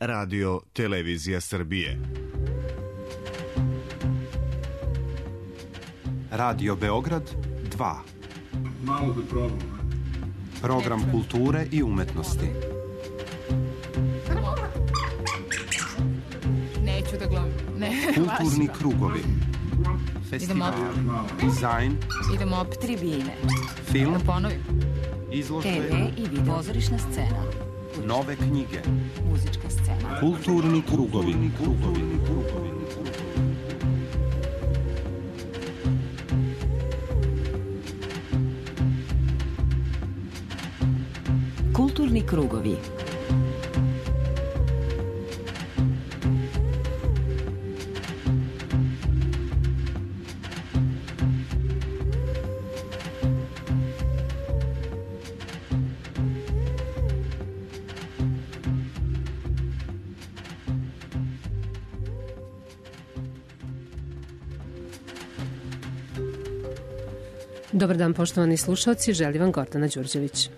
Radio Televizija Srbije. Radio Beograd 2. Malo da probam. Program kulture i umetnosti. Neću da gledam. Kulturni krugovi. Festival, dizajn. Idemo opet tribine. Film, da ponovim. izložbe, TV i video. Pozorišna scena. nove knjige. Muzička scena. Kulturni krugovi. Kulturni krugovi. Dobar dan, poštovani slušalci, želi vam Gordana Đurđević.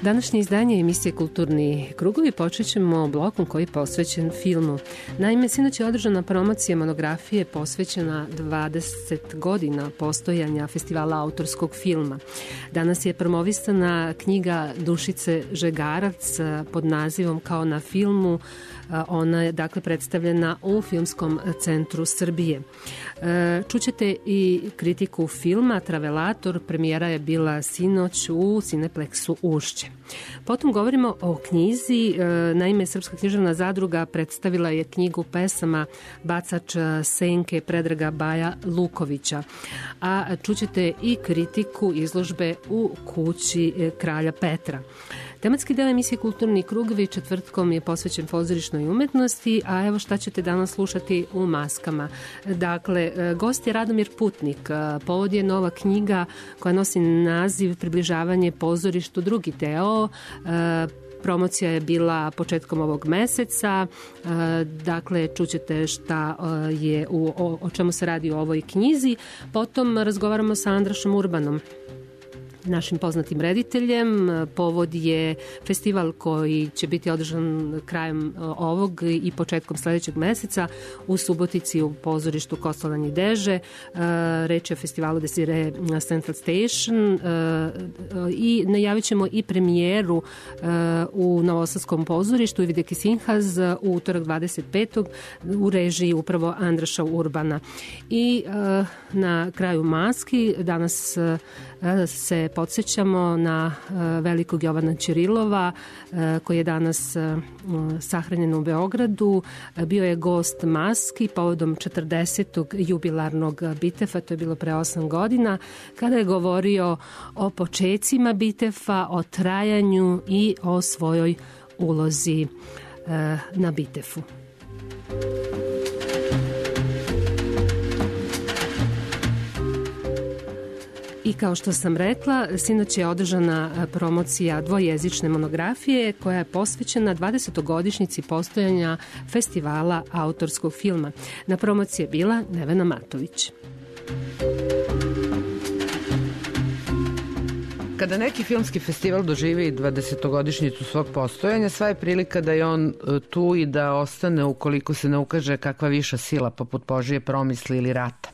Današnje izdanje emisije Kulturni krugovi počet ćemo blokom koji je posvećen filmu. Naime, sinoć je održana promocija monografije posvećena 20 godina postojanja festivala autorskog filma. Danas je promovisana knjiga Dušice Žegarac pod nazivom Kao na filmu. Ona je dakle predstavljena u Filmskom centru Srbije. Čućete i kritiku filma Travelator, premijera je bila sinoć u Cineplexu Ušće. Potom govorimo o knjizi. Naime, Srpska književna zadruga predstavila je knjigu pesama Bacač senke Predraga Baja Lukovića. A čućete i kritiku izložbe u kući Kralja Petra. Tematski deo emisije Kulturni krugovi četvrtkom je posvećen pozorišnoj umetnosti, a evo šta ćete danas slušati u maskama. Dakle, gost je Radomir Putnik. Povod je nova knjiga koja nosi naziv Približavanje pozorištu, drugi deo. Promocija je bila početkom ovog meseca. Dakle, čućete šta je o čemu se radi u ovoj knjizi. Potom razgovaramo sa Andrašom Urbanom, našim poznatim rediteljem. Povod je festival koji će biti održan krajem ovog i početkom sledećeg meseca u Subotici u pozorištu Kostolanj i Deže. Reč je o festivalu Desire Central Station i najavit ćemo i premijeru u Novosadskom pozorištu Ivideke Sinhaz u utorak 25. u režiji upravo Andraša Urbana. I na kraju maski danas se podsjećamo na velikog Jovana Ćirilova koji je danas sahranjen u Beogradu. Bio je gost maski povodom 40. jubilarnog Bitefa, to je bilo pre 8 godina, kada je govorio o počecima Bitefa, o trajanju i o svojoj ulozi na Bitefu. I kao što sam rekla, sinoć je održana promocija dvojezične monografije koja je posvećena 20. postojanja festivala autorskog filma. Na promociji je bila Nevena Matović. Kada neki filmski festival doživi 20. svog postojanja, sva je prilika da je on tu i da ostane ukoliko se ne ukaže kakva viša sila poput Božije promisli ili rata.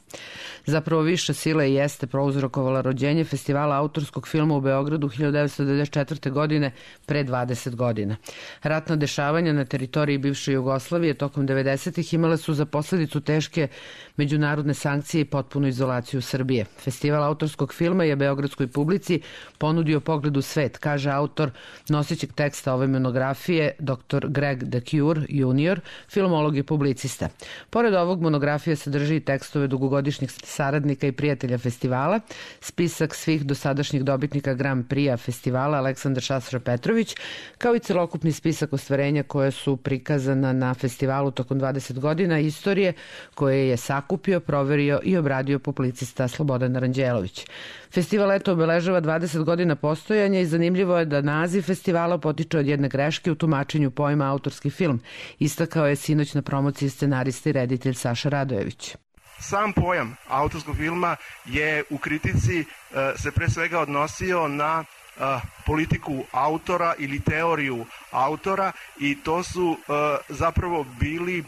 Zapravo viša sila i jeste prouzrokovala rođenje festivala autorskog filma u Beogradu 1994. godine pre 20 godina. Ratna dešavanja na teritoriji bivše Jugoslavije tokom 90. imale su za posledicu teške međunarodne sankcije i potpunu izolaciju Srbije. Festival autorskog filma je beogradskoj publici ponudio pogled u svet, kaže autor nosećeg teksta ove monografije, dr. Greg DeCure junior, filmolog i publicista. Pored ovog, monografija sadrži i tekstove dugogodišnjih saradnika i prijatelja festivala, spisak svih dosadašnjih dobitnika Grand Prix festivala Aleksandar Šašra Petrović, kao i celokupni spisak ostvarenja koje su prikazana na festivalu tokom 20 godina istorije koje je sakupio, proverio i obradio publicista Slobodan Aranđelović. Festival eto obeležava 20 godina postojanja i zanimljivo je da naziv festivala potiče od jedne greške u tumačenju pojma autorski film, istakao je sinoć na promociji scenarista i reditelj Saša Radojević. Sam pojam autorskog filma je u kritici se pre svega odnosio na politiku autora ili teoriju autora i to su zapravo bili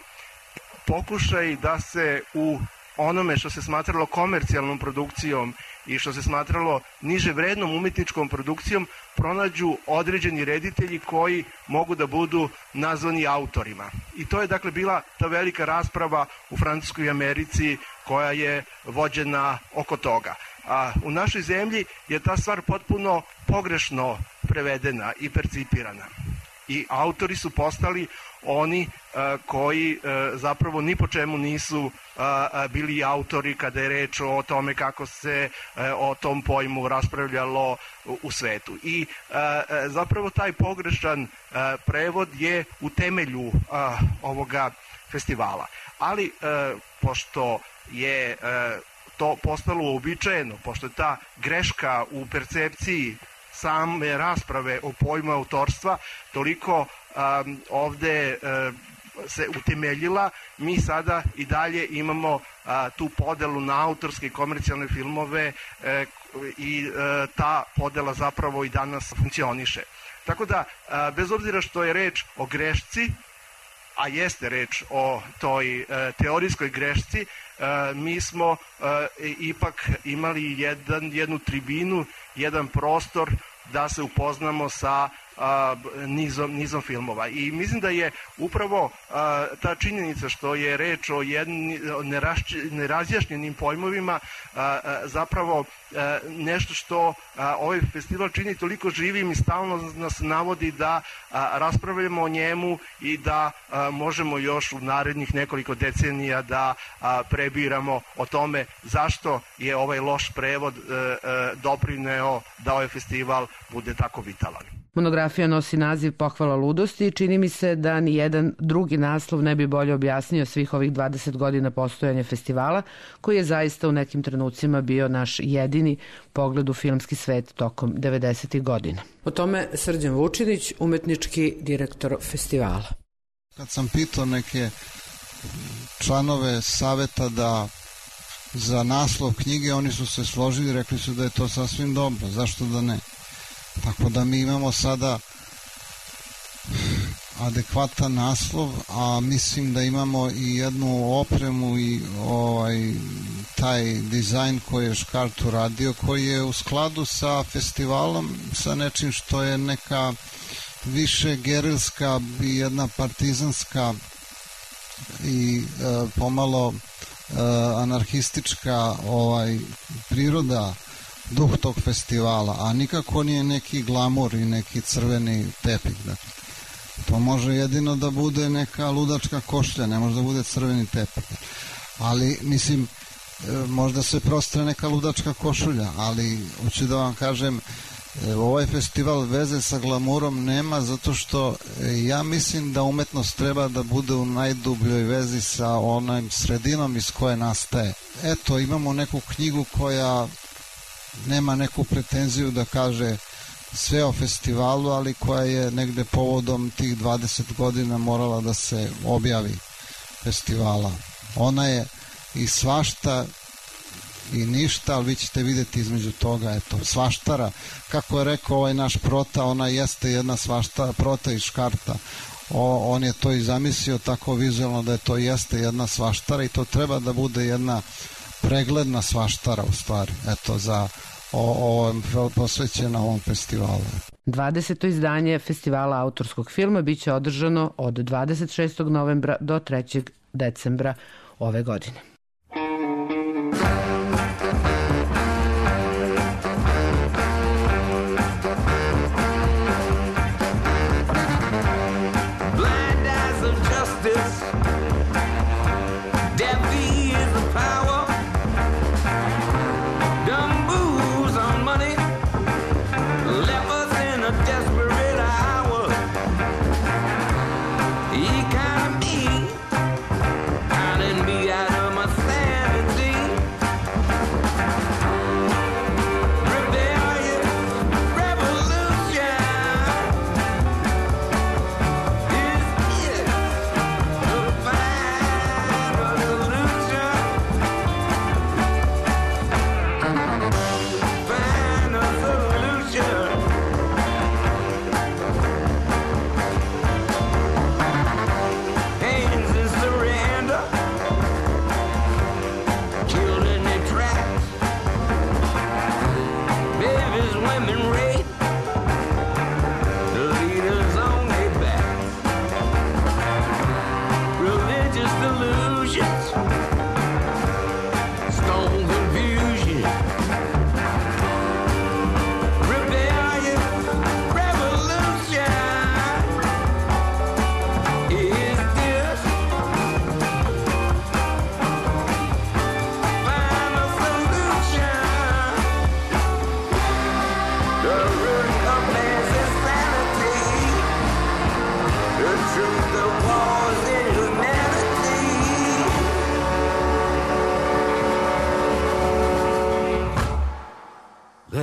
pokušaj da se u onome što se smatralo komercijalnom produkcijom i što se smatralo niže vrednom umetničkom produkcijom pronađu određeni reditelji koji mogu da budu nazvani autorima. I to je dakle bila ta velika rasprava u Francuskoj i Americi koja je vođena oko toga. A u našoj zemlji je ta stvar potpuno pogrešno prevedena i percipirana. I autori su postali oni koji zapravo ni po čemu nisu bili autori kada je reč o tome kako se o tom pojmu raspravljalo u svetu. I zapravo taj pogrešan prevod je u temelju ovoga festivala. Ali pošto je to postalo uobičajeno, pošto je ta greška u percepciji same rasprave o pojmu autorstva toliko ovde se utemeljila, mi sada i dalje imamo tu podelu na autorske i komercijalne filmove i ta podela zapravo i danas funkcioniše. Tako da, bez obzira što je reč o grešci, a jeste reč o toj teorijskoj grešci, mi smo ipak imali jednu tribinu, jedan prostor da se upoznamo sa nizom filmova. I mislim da je upravo ta činjenica što je reč o nerazjašnjenim pojmovima zapravo nešto što ovaj festival čini toliko živim i stalno nas navodi da raspravljamo o njemu i da možemo još u narednih nekoliko decenija da prebiramo o tome zašto je ovaj loš prevod doprineo da ovaj festival bude tako vitalan. Monografija nosi naziv Pohvala ludosti i čini mi se da ni jedan drugi naslov ne bi bolje objasnio svih ovih 20 godina postojanja festivala, koji je zaista u nekim trenucima bio naš jedini pogled u filmski svet tokom 90. godina. O tome Srđan Vučinić, umetnički direktor festivala. Kad sam pitao neke članove saveta da za naslov knjige, oni su se složili i rekli su da je to sasvim dobro, zašto da ne? Tako da mi imamo sada adekvatan naslov, a mislim da imamo i jednu opremu i taj dizajn koji je Škart uradio, koji je u skladu sa festivalom, sa nečim što je neka više gerilska i jedna partizanska i pomalo anarhistička priroda, duh tog festivala, a nikako nije neki glamur i neki crveni tepih. Dakle, to može jedino da bude neka ludačka košlja, ne može da bude crveni tepih. Ali, mislim, možda se prostre neka ludačka košulja, ali hoću da vam kažem, ovaj festival veze sa glamurom nema, zato što ja mislim da umetnost treba da bude u najdubljoj vezi sa onom sredinom iz koje nastaje. Eto, imamo neku knjigu koja nema neku pretenziju da kaže sve o festivalu, ali koja je negde povodom tih 20 godina morala da se objavi festivala. Ona je i svašta i ništa, ali vi ćete vidjeti između toga, eto, svaštara. Kako je rekao ovaj naš Prota, ona jeste jedna svaštara, Prota iz Škarta. On je to i zamislio tako vizualno da je to jeste jedna svaštara i to treba da bude jedna pregledna svaštara u stvari, eto, za posvećena ovom festivalu. 20. izdanje festivala autorskog filma biće održano od 26. novembra do 3. decembra ove godine. He kind of me, out of my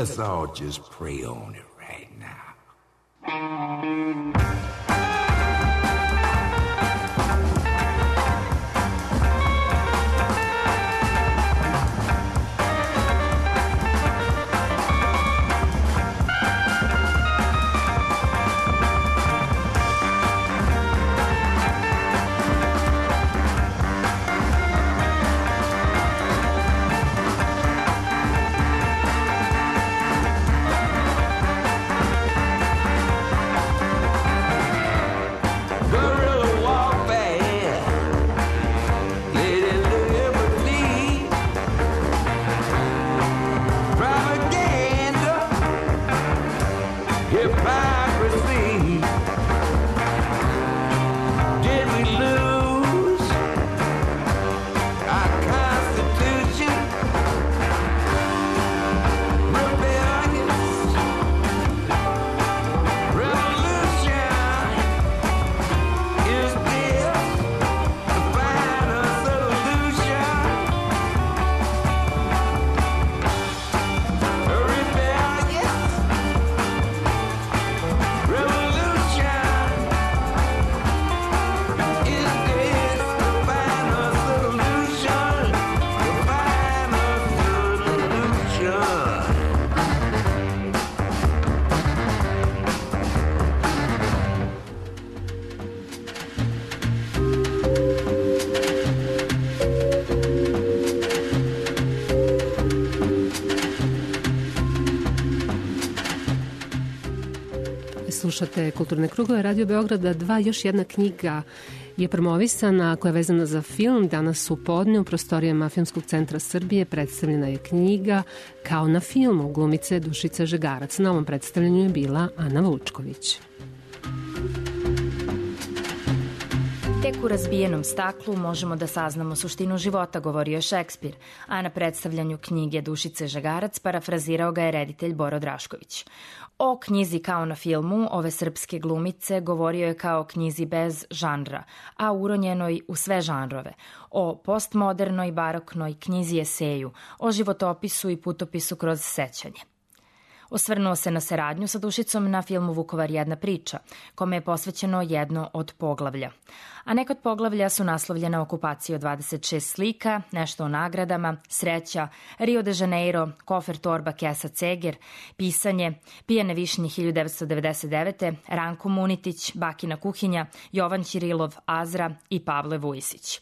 Let's all just pray on it right now. Slušate Kulturne krugove Radio Beograda 2. Još jedna knjiga je promovisana koja je vezana za film. Danas u podne u prostorijama Filmskog centra Srbije predstavljena je knjiga Kao na filmu glumice Dušice Žegarac. Na ovom predstavljanju je bila Ana Vučković. Tek u razbijenom staklu možemo da saznamo suštinu života, govorio Šekspir, a na predstavljanju knjige Dušice Žegarac parafrazirao ga je reditelj Boro Drašković. O knjizi Kao na filmu ove srpske glumice govorio je kao knjizi bez žanra, a uronjenoj u sve žanrove, o postmodernoj baroknoj knjizi eseju, o životopisu i putopisu kroz sećanje. Osvrnuo se na saradnju sa Dušicom na filmu Vukovar jedna priča, kome je posvećeno jedno od poglavlja. A neka od poglavlja su naslovljena okupacija od 26 slika, nešto o nagradama, sreća, Rio de Janeiro, kofer, torba, kesa, ceger, pisanje, Pijane višnje 1999. Ranko Munitić, Bakina kuhinja, Jovan Ćirilov, Azra i Pavle Vujisić.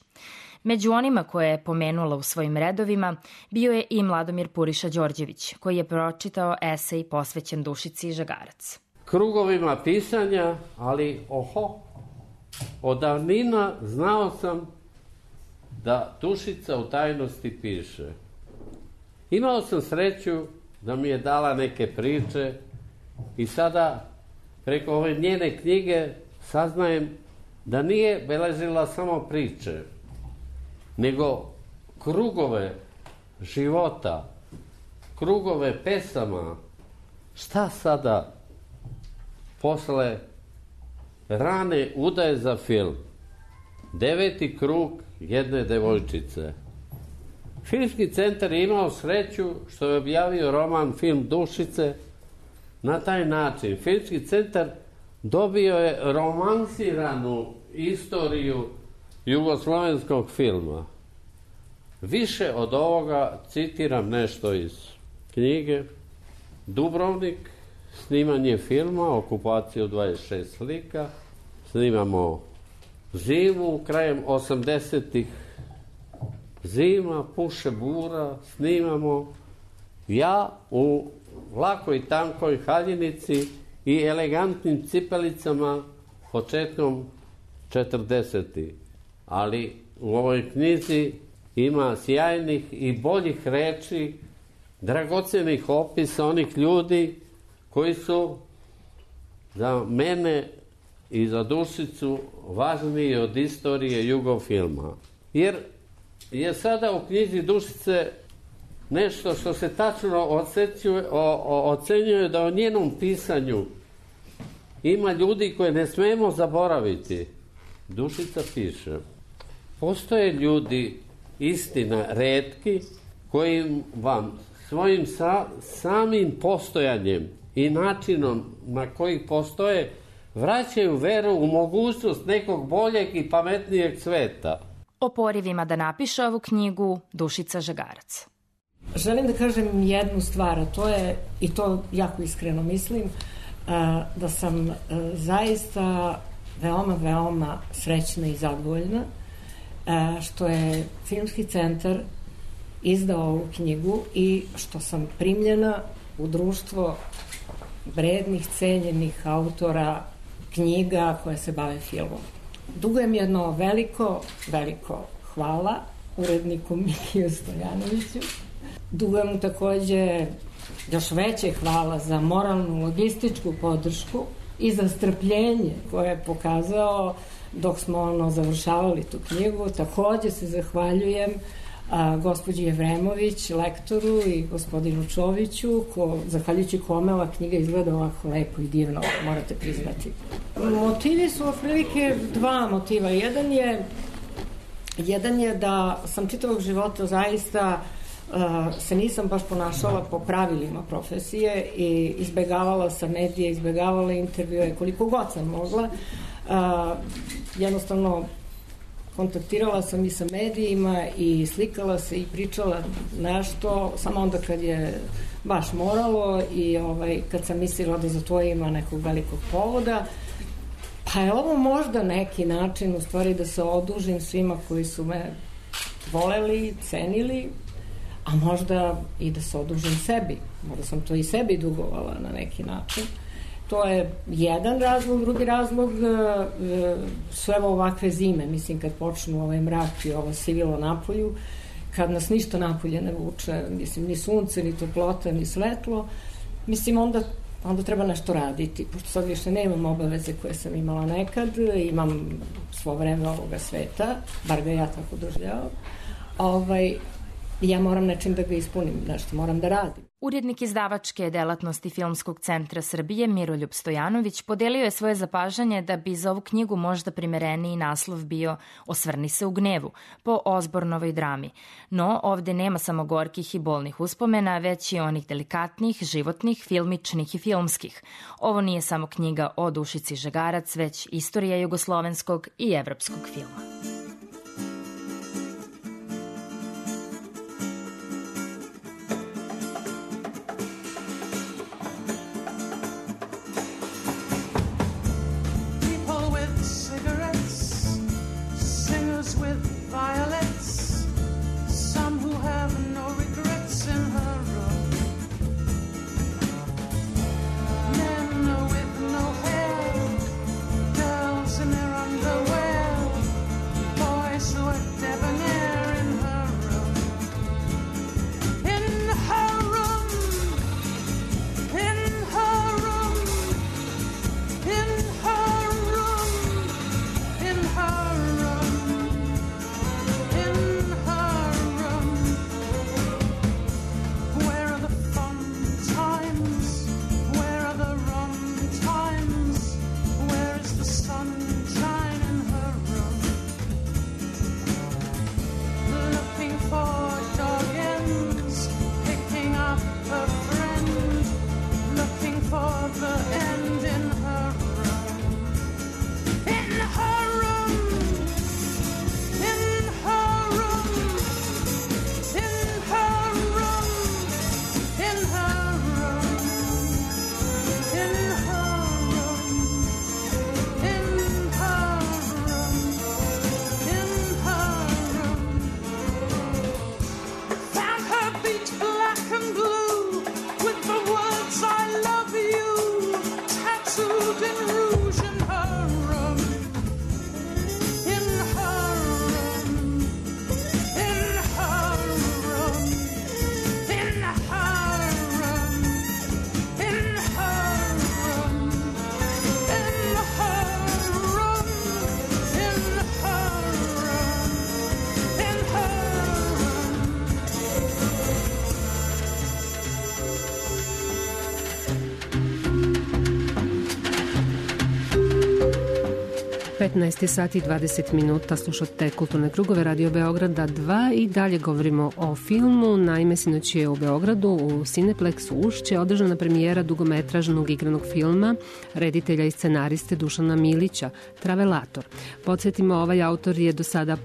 Među onima koje je pomenula u svojim redovima bio je i Mladomir Puriša Đorđević, koji je pročitao esej posvećen Dušici Žegarac. Krugovima pisanja, ali od davnina znao sam da Dušica u tajnosti piše. Imao sam sreću da mi je dala neke priče i sada preko ove njene knjige saznajem da nije beležila samo priče, nego krugove života, krugove pesama. Šta sada posle rane udaje za film? 9. krug jedne devojčice. Filmski centar je imao sreću što je objavio roman Film Dušice na taj način. Filmski centar dobio je romansiranu istoriju jugoslovenskog filma. Više od ovoga citiram nešto iz knjige. Dubrovnik, snimanje filma, okupaciju 26 slika, snimamo zimu, krajem 80-ih, zima, puše bura, snimamo ja u lakoj tankoj haljinici i elegantnim cipelicama početkom 40-ih. Ali u ovoj knjizi ima sjajnih i boljih reči, dragocenih opisa onih ljudi koji su za mene i za Dušicu važniji od istorije jugofilma. Jer je sada u knjizi Dušice nešto što se tačno ocenjuje da o njenom pisanju ima ljudi koje ne smemo zaboraviti. Dušica piše: postoje ljudi, istina, retki, koji vam svojim samim postojanjem i načinom na koji postoje vraćaju veru u mogućnost nekog boljeg i pametnijeg sveta. O porivima da napiše ovu knjigu Dušica Žegarac. Želim da kažem jednu stvar, a to je, i to jako iskreno mislim, da sam zaista veoma srećna i zadovoljna što je Filmski centar izdao ovu knjigu i što sam primljena u društvo vrednih, cenjenih autora knjiga koje se bave filmom. Dugujem jedno veliko hvala uredniku Mikiju Stojanoviću. Dugujem mu takođe još veće hvala za moralnu, logističku podršku i za strpljenje koje je pokazao dok smo završavali tu knjigu. Takođe se zahvaljujem gospođi Jevremović, lektoru, i gospodinu Čoviću, zahvaljujući kome ova knjiga izgleda ovako lepo i divno, morate priznati. Motivi su otprilike dva motiva. Jedan je da sam čitavog života zaista se nisam baš ponašala po pravilima profesije i izbegavala sam medije, izbegavala intervjue koliko god sam mogla. Jednostavno kontaktirala sam i sa medijima i slikala se i pričala nešto samo onda kad je baš moralo i kad sam mislila da za to ima nekog velikog povoda. Pa je ovo možda neki način u stvari da se odužim svima koji su me voleli, cenili, a možda i da se odužim sebi. Možda sam to i sebi dugovala na neki način. To je jedan razlog. Drugi razlog su evo ovakve zime. Mislim, kad počnu ovaj mrak i ovo sivilo napolju, kad nas ništa napolje ne vuče, mislim, ni sunce, ni toplota, ni svetlo, mislim, onda treba nešto raditi. Pošto sad više nemam obaveze koje sam imala nekad, imam svo vreme ovoga sveta, bar ga ja tako doživljavam, ja moram nečim da ga ispunim, nešto moram da radim. Urednik izdavačke delatnosti Filmskog centra Srbije Miroljub Stojanović podelio je svoje zapažanje da bi za ovu knjigu možda primereniji naslov bio Osvrni se u gnevu, po Osbornovoj drami. No, ovde nema samo gorkih i bolnih uspomena, već i onih delikatnih, životnih, filmičnih i filmskih. Ovo nije samo knjiga o Dušici Žegarac, već istorija jugoslovenskog i evropskog filma. 15 sati i 20 minuta, slušate Kulturne krugove Radio Beograda 2 i dalje govorimo o filmu. Naime, sinoć je u Beogradu u Cineplexu Ušće održana premijera dugometražnog igranog filma reditelja i scenariste Dušana Milića, Travelator. Podsjetimo, ovaj autor je do sada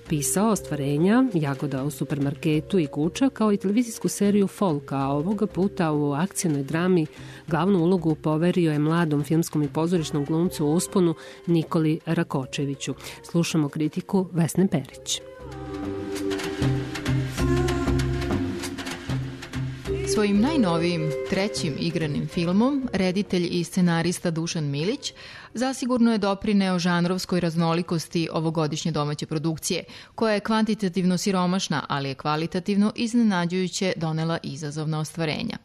pisao ostvarenja Jagoda u supermarketu i Guča, kao i televizijsku seriju Folka, a ovoga puta u akcijnoj drami glavnu ulogu poverio je mladom filmskom i pozorišnom glumcu u usponu Nikoli Rakočeviću. Slušamo kritiku Vesne Perić. Svojim najnovijim trećim igranim filmom reditelj i scenarista Dušan Milić zasigurno je doprineo žanrovskoj raznolikosti ovogodišnje domaće produkcije, koja je kvantitativno siromašna, ali je kvalitativno iznenađujuće donela izazovna ostvarenja.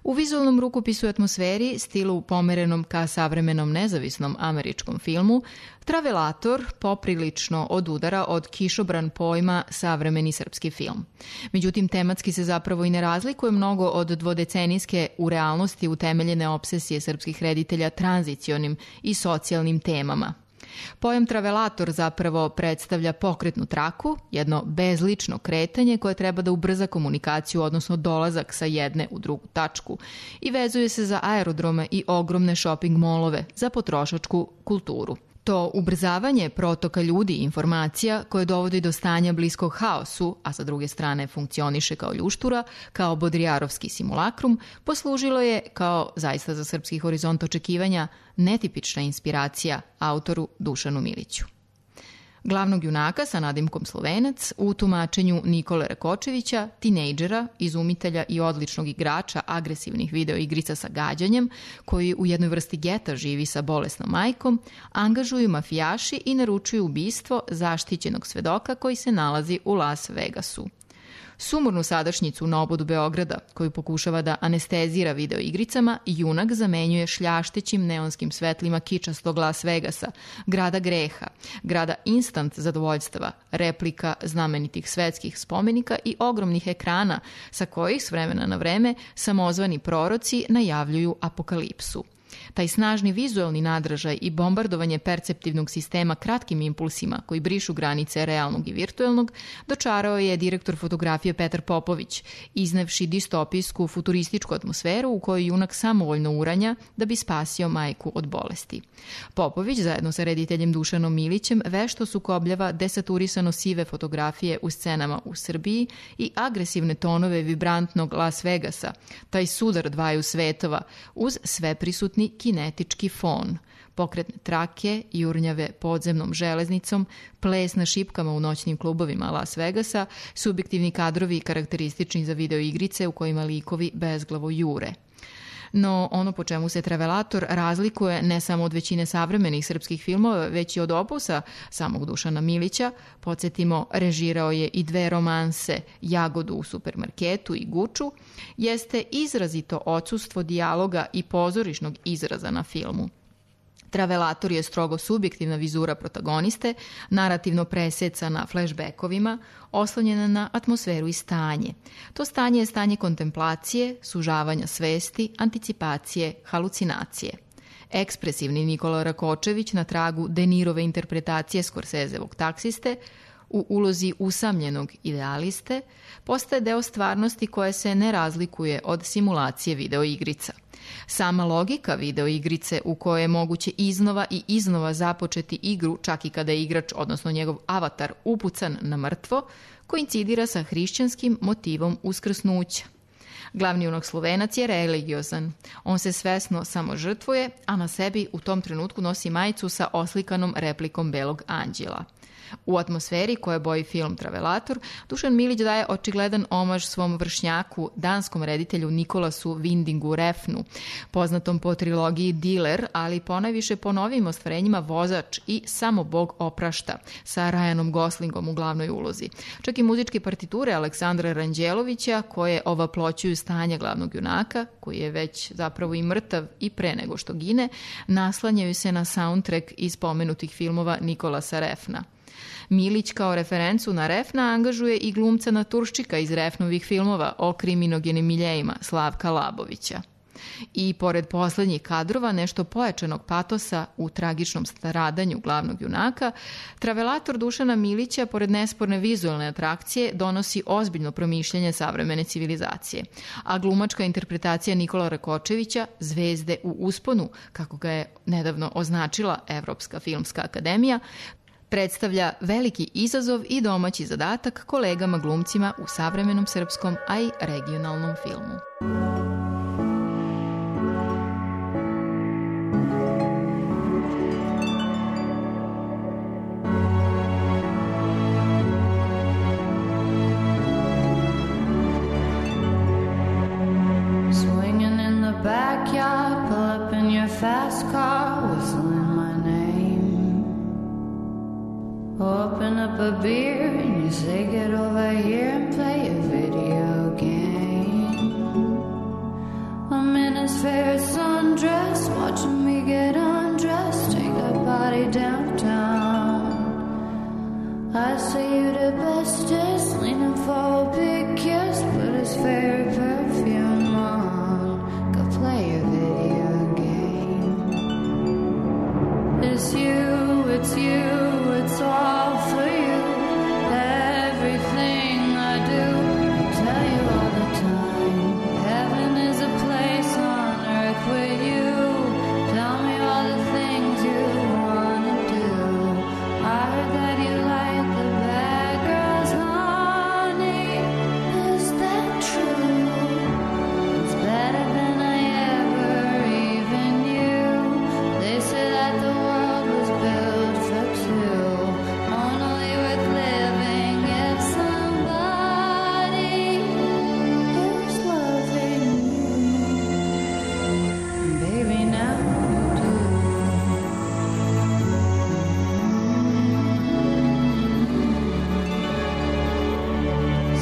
U vizualnom rukopisu i atmosferi, stilu pomerenom ka savremenom nezavisnom američkom filmu, Travelator poprilično odudara od kišobran pojma savremeni srpski film. Međutim, tematski se zapravo i ne razlikuje mnogo od dvodecenijske u realnosti utemeljene obsesije srpskih reditelja tranzicionim i socijalnim temama. Pojam Travelator zapravo predstavlja pokretnu traku, jedno bezlično kretanje koje treba da ubrza komunikaciju, odnosno dolazak sa jedne u drugu tačku, i vezuje se za aerodrome i ogromne shopping molove za potrošačku kulturu. To ubrzavanje protoka ljudi i informacija koje dovodi do stanja bliskog haosu, a sa druge strane funkcioniše kao ljuštura, kao bodrijarovski simulakrum, poslužilo je, kao zaista za srpski horizont očekivanja, netipična inspiracija autoru Dušanu Miliću. Glavnog junaka sa nadimkom Slovenac u tumačenju Nikole Rakočevića, tinejdžera, izumitelja i odličnog igrača agresivnih videoigrica sa gađanjem, koji u jednoj vrsti geta živi sa bolesnom majkom, angažuju mafijaši i naručuju ubistvo zaštićenog svedoka koji se nalazi u Las Vegasu. Sumornu sadašnjicu na obodu Beograda, koju pokušava da anestezira videoigricama, junak zamenjuje šljaštećim neonskim svetlima kičastog Las Vegasa, grada greha, grada instant zadovoljstava, replika znamenitih svetskih spomenika i ogromnih ekrana sa kojih s vremena na vreme samozvani proroci najavljuju apokalipsu. Taj snažni vizualni nadražaj i bombardovanje perceptivnog sistema kratkim impulsima koji brišu granice realnog i virtuelnog dočarao je direktor fotografije Petar Popović, iznevši distopijsku futurističku atmosferu u kojoj junak samovoljno uranja da bi spasio majku od bolesti. Popović zajedno sa rediteljem Dušanom Milićem vešto sukobljava desaturisano sive fotografije u scenama u Srbiji i agresivne tonove vibrantnog Las Vegasa, taj sudar dvaju svetova uz sveprisutni kinetički fon, pokretne trake, jurnjave podzemnom železnicom, ples na šipkama u noćnim klubovima Las Vegasa, subjektivni kadrovi karakteristični za videoigrice u kojima likovi bezglavo jure. No, ono po čemu se Travelator razlikuje ne samo od većine savremenih srpskih filmova, već i od opusa samog Dušana Milića, podsjetimo, režirao je i dve romanse, Jagodu u supermarketu i Guču, jeste izrazito odsustvo dijaloga i pozorišnog izraza na filmu. Travelator je strogo subjektivna vizura protagoniste, narativno presecana flashbackovima, oslonjena na atmosferu i stanje. To stanje je stanje kontemplacije, sužavanja svesti, anticipacije, halucinacije. Ekspresivni Nikola Rakočević na tragu De Nirove interpretacije Scorsesevog taksiste, u ulozi usamljenog idealiste, postaje deo stvarnosti koja se ne razlikuje od simulacije videoigrica. Sama logika videoigrice u kojoj je moguće iznova i iznova započeti igru, čak i kada je igrač, odnosno njegov avatar, upucan na mrtvo, koincidira sa hrišćanskim motivom uskrsnuća. Glavni junak Slovenac je religiozan. On se svesno samo žrtvuje, a na sebi u tom trenutku nosi majicu sa oslikanom replikom belog anđela. U atmosferi koje boji film Travelator, Dušan Milić daje očigledan omaž svom vršnjaku, danskom reditelju Nikolasu Windingu Refnu, poznatom po trilogiji Diler, ali ponajviše po novim ostvarenjima Vozač i Samo Bog oprašta, sa Ryanom Goslingom u glavnoj ulozi. Čak i muzičke partiture Aleksandra Ranđelovića, koje ovaploćuju stanje glavnog junaka, koji je već zapravo i mrtav i pre nego što gine, naslanjaju se na soundtrack iz pomenutih filmova Nikolasa Refna. Milić kao referencu na Refna angažuje i glumca naturščika iz Refnovih filmova o kriminogenim miljejima Slavka Labovića. I pored poslednjih kadrova, nešto pojačanog patosa u tragičnom stradanju glavnog junaka, travelator Dušana Milića, pored nesporne vizualne atrakcije, donosi ozbiljno promišljanje savremene civilizacije. A glumačka interpretacija Nikola Rakočevića, zvezde u usponu, kako ga je nedavno označila Evropska filmska akademija, predstavlja veliki izazov i domaći zadatak kolegama glumcima u savremenom srpskom, a i regionalnom filmu. Swinging in the backyard, pull up in your fast car, whistling my name. Open up a beer and you say get over here and play a video game. I'm in his fair sundress, watching me get undressed, take that body downtown. I say you the bestest, leaning for a big kiss, put his favorite perfume on, go play a video game. It's you, it's all for you. Everything I do, I tell you all the time. Heaven is a place on earth with you. Tell me all the things you wanna do. I heard that you like the bad girls, honey. Is that true? It's better than I ever even knew. They say that the world was built for two, only worth living if somebody is loving you. Baby, now you do.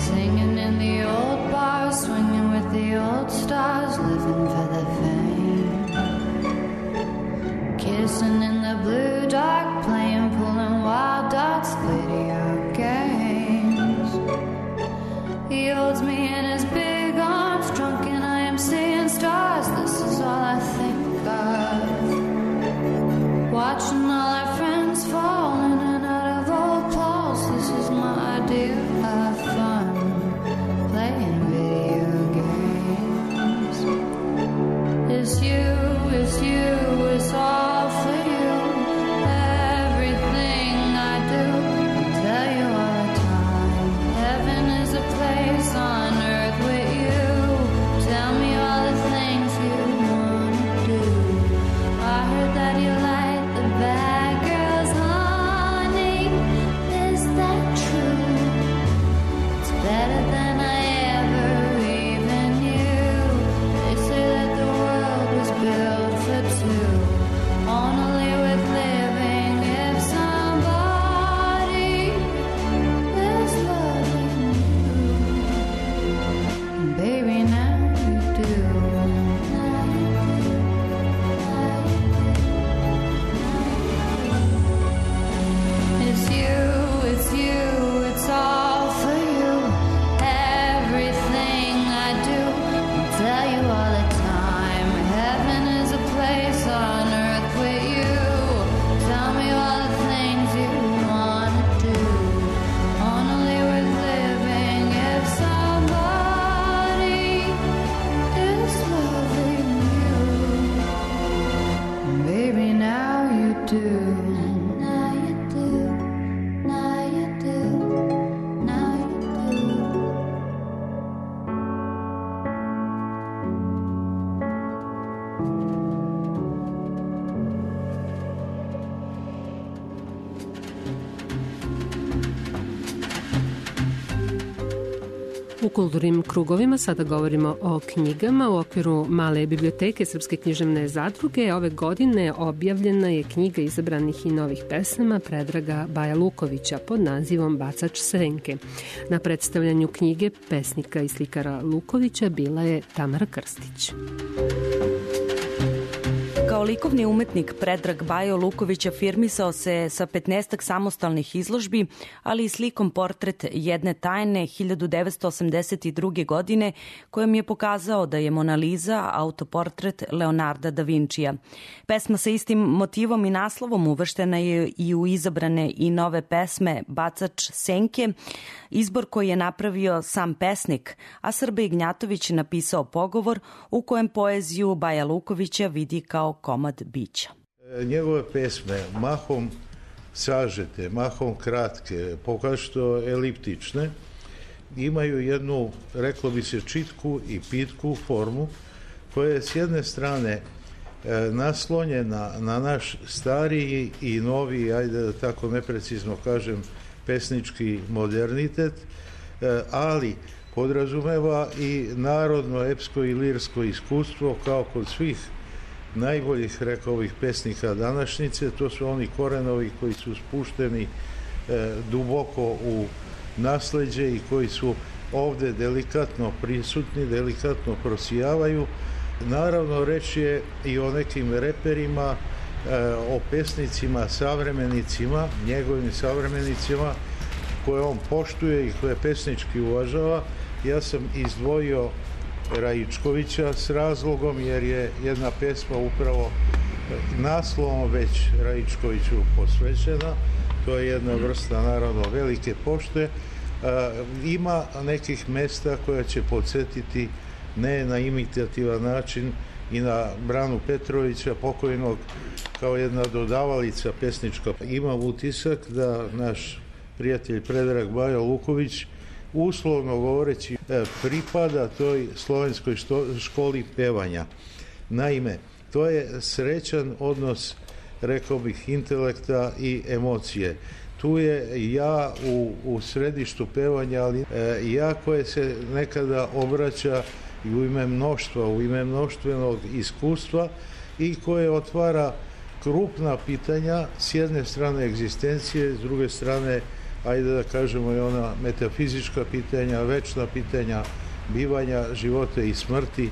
Singing in the old bars, swinging with the old stars, living for the fame. Kissing in the blue dark, playing, pulling wild dots, video games. He holds me in his big arms, drunk and I am seeing stars. This is all I think of. Watching all our friends fall in and out of old Pauls. This is my idea of fun, playing video games. It's you, it's all for you. Everything I do, I tell you all the time. Heaven is a place on earth with you. Tell me all the things you wanna do. I heard that you like the bad girls, honey. Is that true? It's better than I ever even knew. They say that the world was built for two, only with living if somebody is loving you. And baby, now you do. Now you do. Now you do. It's you, it's all for you. Everything I do, I tell you all the time. Heaven is a place on earth with you. Tell me all the things you wanna do. Only worth living if somebody is loving you. Baby, now you do. Now you do. Now you do. Now you do. U kulturnim krugovima sada govorimo o knjigama. U okviru Male biblioteke Srpske književne zadruge ove godine objavljena je knjiga izabranih i novih pesama Predraga Baja Lukovića pod nazivom Bacač Srenke. Na predstavljanju knjige pesnika i slikara Lukovića bila je Tamara Krstić. Kao Kao likovni umetnik Predrag Bajo Luković afirmisao se sa 15 samostalnih izložbi, ali i slikom Portret jedne tajne 1982. godine, kojom je pokazao da je Mona Lisa autoportret Leonarda da Vincija. Pesma sa istim motivom i naslovom uvrštena je i u izabrane i nove pesme Bacač senke, izbor koji je napravio sam pesnik, a Srbe Ignjatović napisao pogovor u kojem poeziju Baja Lukovića vidi kao komad bića. Njegove pesme mahom sažete, mahom kratke, pokašto eliptične, imaju jednu, reklo bi se, čitku i pitku formu koja je s jedne strane naslonjena na naš stariji i noviji, ajde da tako neprecizno kažem, pesnički modernitet, ali podrazumeva i narodno, epsko i lirsko iskustvo kao kod svih najboljih, rekao bih, pesnika današnjice. To su oni korenovi koji su spušteni duboko u nasleđe i koji su ovde delikatno prisutni, delikatno prosijavaju. Naravno, reč je i o nekim reperima, o pesnicima, savremenicima, njegovim savremenicima, koje on poštuje i koje pesnički uvažava. Ja sam izdvojio Raičkovića s razlogom, jer je jedna pesma upravo naslovom već Raičkoviću posvećena. To je jedna vrsta, naravno, velike pošte. Ima nekih mesta koja će podsjetiti ne na imitativan način i na Branu Petrovića, pokojnog, kao jedna dodavalica pesnička. Imam utisak da naš prijatelj Predrag Bajo Luković, uslovno govoreći, pripada toj slovenskoj školi pevanja. Naime, to je srećan odnos, rekao bih, intelekta i emocije. Tu je ja u središtu pevanja, ali ja koje se nekada obraća i u ime mnoštva, u ime mnoštvenog iskustva i koje otvara krupna pitanja, s jedne strane egzistencije, s druge strane, ajde da kažemo, i ona metafizička pitanja, večna pitanja bivanja, života i smrti,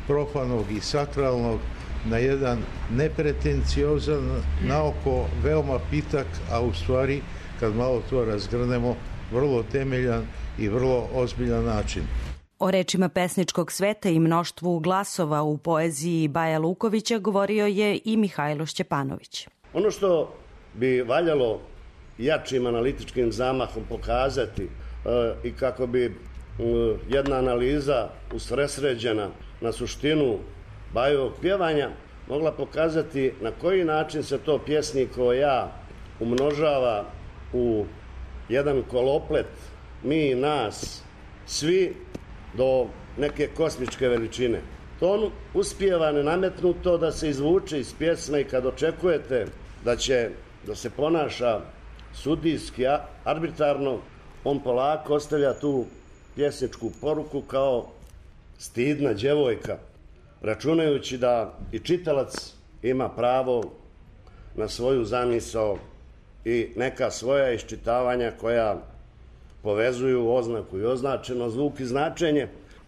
profanog i sakralnog, na jedan nepretenciozan, naoko veoma pitak, a u stvari, kad malo to razgrnemo, vrlo temeljan i vrlo ozbiljan način. O rečima pesničkog sveta i mnoštvu glasova u poeziji Baja Lukovića govorio je i Mihajlo Šćepanović. Ono što bi valjalo jačim analitičkim zamahom pokazati i kako bi jedna analiza usresređena na suštinu Bajovog pjevanja mogla pokazati na koji način se to pjesnikovo ja umnožava u jedan koloplet mi i nas, svi, do neke kosmičke veličine. To on uspijeva nenametnuto da se izvuče iz pjesme i kad očekujete da će da se ponaša sudijski, arbitrarno, on polako ostavlja tu pjesničku poruku kao stidna djevojka, računajući da i čitalac ima pravo na svoju zamisao i neka svoja iščitavanja koja povezuju oznaku i označeno, zvuk i značenje.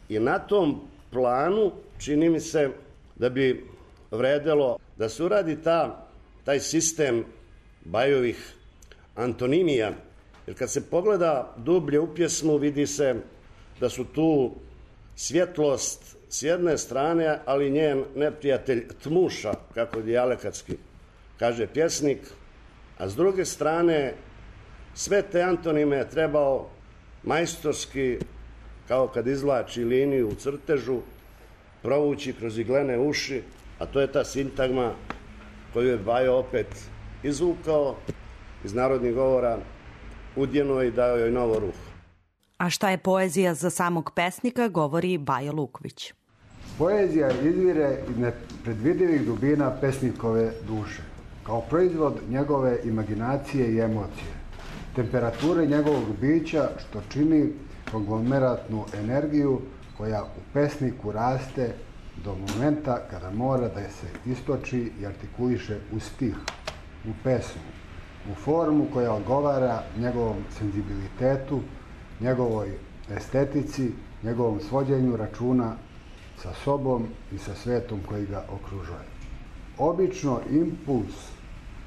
I na tom planu čini mi se da bi vredelo da se uradi taj sistem Bajovih antonimija, jer kad se pogleda dublje u pjesmu vidi se da su tu svjetlost s jedne strane, ali njen neprijatelj tmuša, kako dijalekatski kaže pjesnik, a s druge strane sve te antonime je trebao majstorski, kao kad izvlači liniju u crtežu, provući kroz iglene uši, a to je ta sintagma koju je Bajo opet izvukao iz narodnih govora, udjeno i dao joj novo ruho. A šta je poezija za samog pesnika, govori Bajo Luković. Poezija izvire iz nepredvidivih dubina pesnikove duše, kao proizvod njegove imaginacije i emocije, temperature njegovog bića, što čini konglomeratnu energiju koja u pesniku raste do momenta kada mora da se istoči i artikuliše u stih, u pesmu, u formu koja odgovara njegovom senzibilitetu, njegovoj estetici, njegovom svođenju računa sa sobom i sa svetom koji ga okružuje. Obično impuls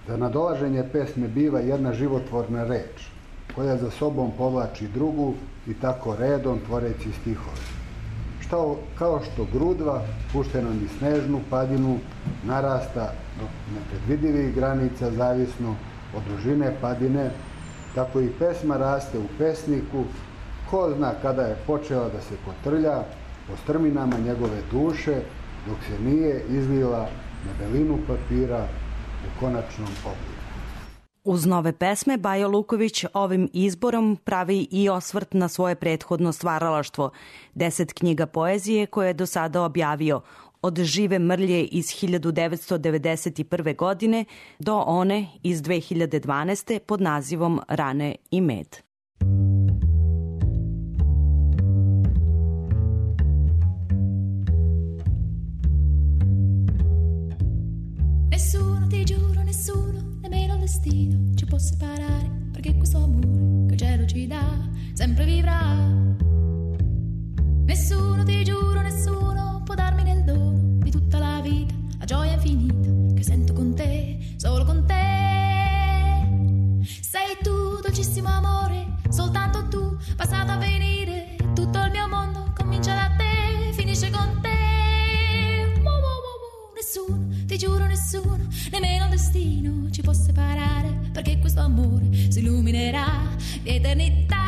za nadolaženje pesme biva jedna životvorna reč, koja za sobom povlači drugu i tako redom tvoreći stihove. Kao što grudva, puštena niz snežnu padinu, narasta do nepredvidivih granica zavisno od dužine padine, tako i pesma raste u pesniku, ko zna kada je počela da se kotrlja po strminama njegove duše, dok se nije izlila na belinu papira u konačnom obliku. Uz nove pesme, Bajo Luković ovim izborom pravi i osvrt na svoje prethodno stvaralaštvo, 10 knjiga poezije koje je do sada objavio, od Žive mrlje iz 1991. godine do one iz 2012. pod nazivom Rane i med. Nessuno, ti giuro, nessuno, nemmeno il destino ci può separare, perché questo amore che il cielo ci dà sempre vivrà. Nessuno, ti giuro, nessuno può darmi nel dono di tutta la vita la gioia infinita che sento con te, solo con te. Sei tu, dolcissimo amore, soltanto tu, passato a venire, tutto il mio mondo comincia da te, finisce con te. Nessuno, ti giuro, nessuno, nemmeno il destino ci può separare, perché questo amore si illuminerà di eternità.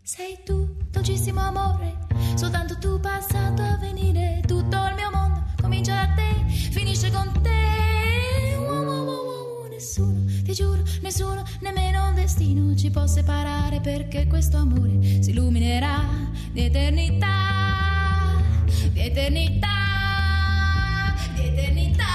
Sei tu, dolcissimo amore, soltanto tu, passato a venire, tutto il mio mondo comincia da te, finisce con te. Nessuno, ti giuro, nessuno, nemmeno il destino ci può separare, perché questo amore si illuminerà di eternità, di eternità, di eternità.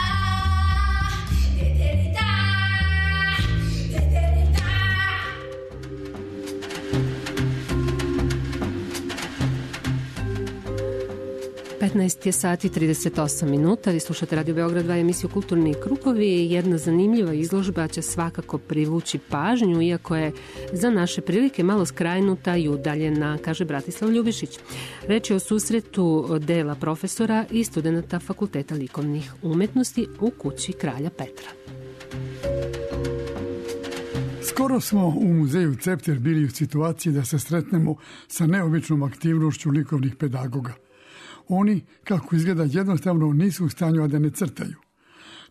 15 je sati 38 minuta, vi slušate Radio Beograd 2 emisiju Kulturni krugovi. Jedna zanimljiva izložba će svakako privući pažnju, iako je za naše prilike malo skrajnuta i udaljena, kaže Bratislav Ljubišić. Reč je o susretu dela profesora i studenta Fakulteta likovnih umetnosti u kući Kralja Petra. Skoro smo u muzeju Cepter bili u situaciji da se sretnemo sa neobičnom aktivnošću likovnih pedagoga. Oni, kako izgleda, jednostavno nisu u stanju, a da ne crtaju.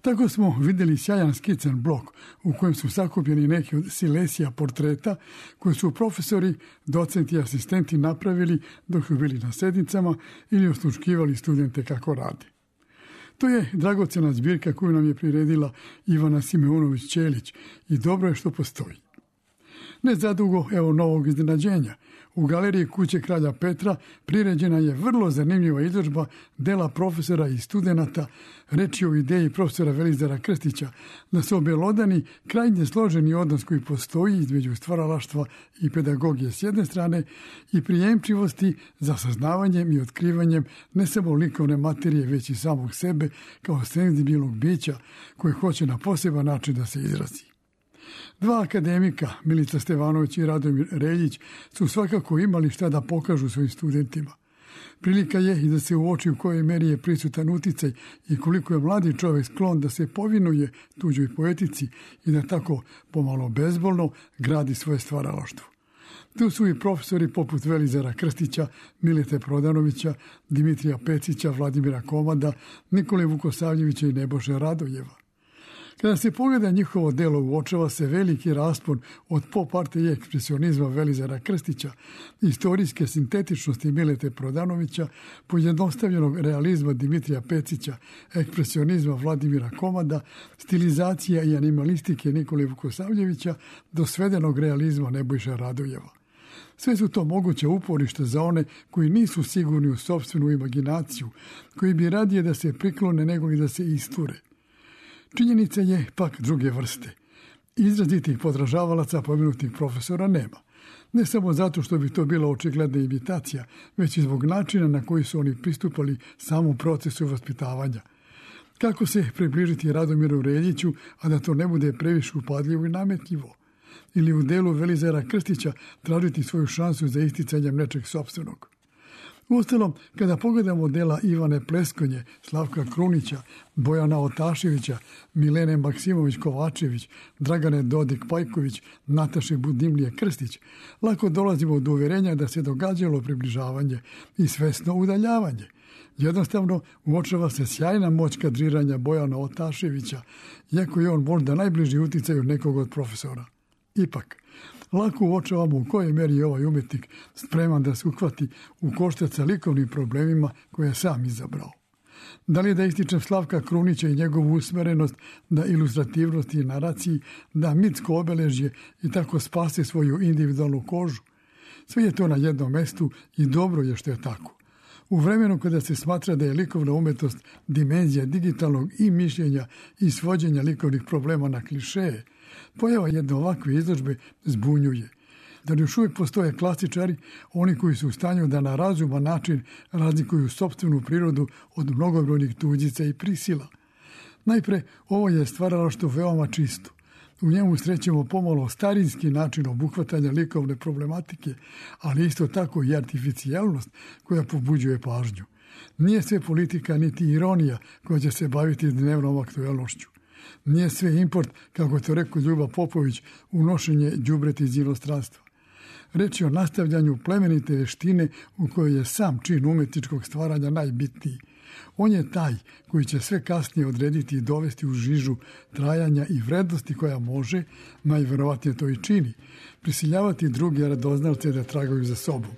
Tako smo vidjeli sjajan skican blok u kojem su sakupljeni neki od silesija portreta koje su profesori, docenti i asistenti napravili dok su bili na sednicama ili osluškivali studente kako rade. To je dragocjena zbirka koju nam je priredila Ivana Simeunović-Ćelić i dobro je što postoji. Ne zadugo, evo novog iznenađenja. U galeriji kuće Kralja Petra priređena je vrlo zanimljiva izložba dela profesora i studenata, reč je o ideji profesora Velizara Krstića, da se objelodani krajnje složeni odnos koji postoji između stvaralaštva i pedagogije s jedne strane i prijemčivosti za saznavanjem i otkrivanjem ne samo likovne materije, već i samog sebe kao senzibilnog bića koje hoće na poseban način da se izrazi. Dva akademika, Milica Stevanović i Radomir Reljić, su svakako imali šta da pokažu svojim studentima. Prilika je i da se uoči u kojoj meri je prisutan uticaj i koliko je mladi čovjek sklon da se povinuje tuđoj poetici i da tako pomalo bezbolno gradi svoje stvaralaštvo. Tu su i profesori poput Velizara Krstića, Milete Prodanovića, Dimitrija Pecića, Vladimira Komada, Nikole Vukosavljevića i Neboše Radojeva. Kada se pogleda njihovo delo, uočava se veliki raspon od pop arte i ekspresionizma Velizara Krstića, istorijske sintetičnosti Milete Prodanovića, pojednostavljenog realizma Dimitrija Pecića, ekspresionizma Vladimira Komada, stilizacija i animalistike Nikole Vukosavljevića do svedenog realizma Nebojša Radojeva. Sve su to moguće uporište za one koji nisu sigurni u sopstvenu imaginaciju, koji bi radije da se priklone nego li da se isture. Činjenica je pak druge vrste. Izrazitih podražavalaca pomenutih profesora nema. Ne samo zato što bi to bila očigledna imitacija, već i zbog načina na koji su oni pristupali samom procesu vaspitavanja. Kako se približiti Radomiru Reljiću, a da to ne bude previše upadljivo i nametljivo? Ili u delu Velizara Krstića tražiti svoju šansu za isticanjem nečeg sopstvenog? Uostalom, kada pogledamo dela Ivane Pleskonje, Slavka Krunića, Bojana Otaševića, Milene Maksimović-Kovačević, Dragane Dodik-Pajković, Nataše Budimlije Krstić, lako dolazimo do uverenja da se događalo približavanje i svesno udaljavanje. Jednostavno, uočava se sjajna moć kadriranja Bojana Otaševića, iako je on možda najbliži uticaju nekog od profesora. Ipak, lako uočavamo u kojoj meri je ovaj umetnik spreman da se uhvati u koštac sa likovnim problemima koje je sam izabrao. Da li da ističem Slavka Krunića i njegovu usmerenost da ilustrativnosti i naraciji, da mitsko obeležje i tako spase svoju individualnu kožu? Sve je to na jednom mestu i dobro je što je tako. U vremenu kada se smatra da je likovna umetnost dimenzija digitalnog i mišljenja i svođenja likovnih problema na klišeje, pojava jedne ovakve izložbe zbunjuje. Da li još uvijek postoje klasičari, oni koji su u stanju da na razuman način razlikuju sopstvenu prirodu od mnogobrojnih tuđica i prisila. Najpre, ovo je stvaralaštvo veoma čisto. U njemu srećemo pomalo starinski način obuhvatanja likovne problematike, ali isto tako i artificijalnost koja pobuđuje pažnju. Nije sve politika niti ironija koja će se baviti dnevnom aktuelnošću. Nije sve import, kako to rekao Ljuba Popović, unošenje đubreta iz inostranstva. Reč je o nastavljanju plemenite veštine u kojoj je sam čin umetničkog stvaranja najbitniji. On je taj koji će sve kasnije odrediti i dovesti u žižu trajanja i vrednosti koja može, najverovatnije to i čini, prisiljavati druge radoznalce da tragaju za sobom.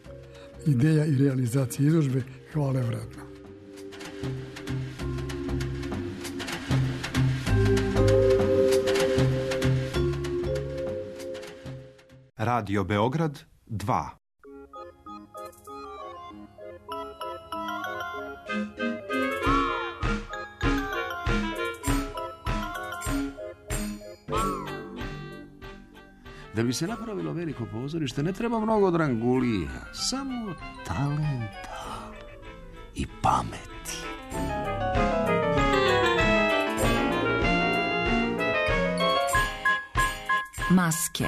Ideja i realizacija izložbe hvale vredna. Radio Beograd 2. Da bi se napravilo veliko pozorište ne treba mnogo drangulija, samo talenta i pameti. Maske.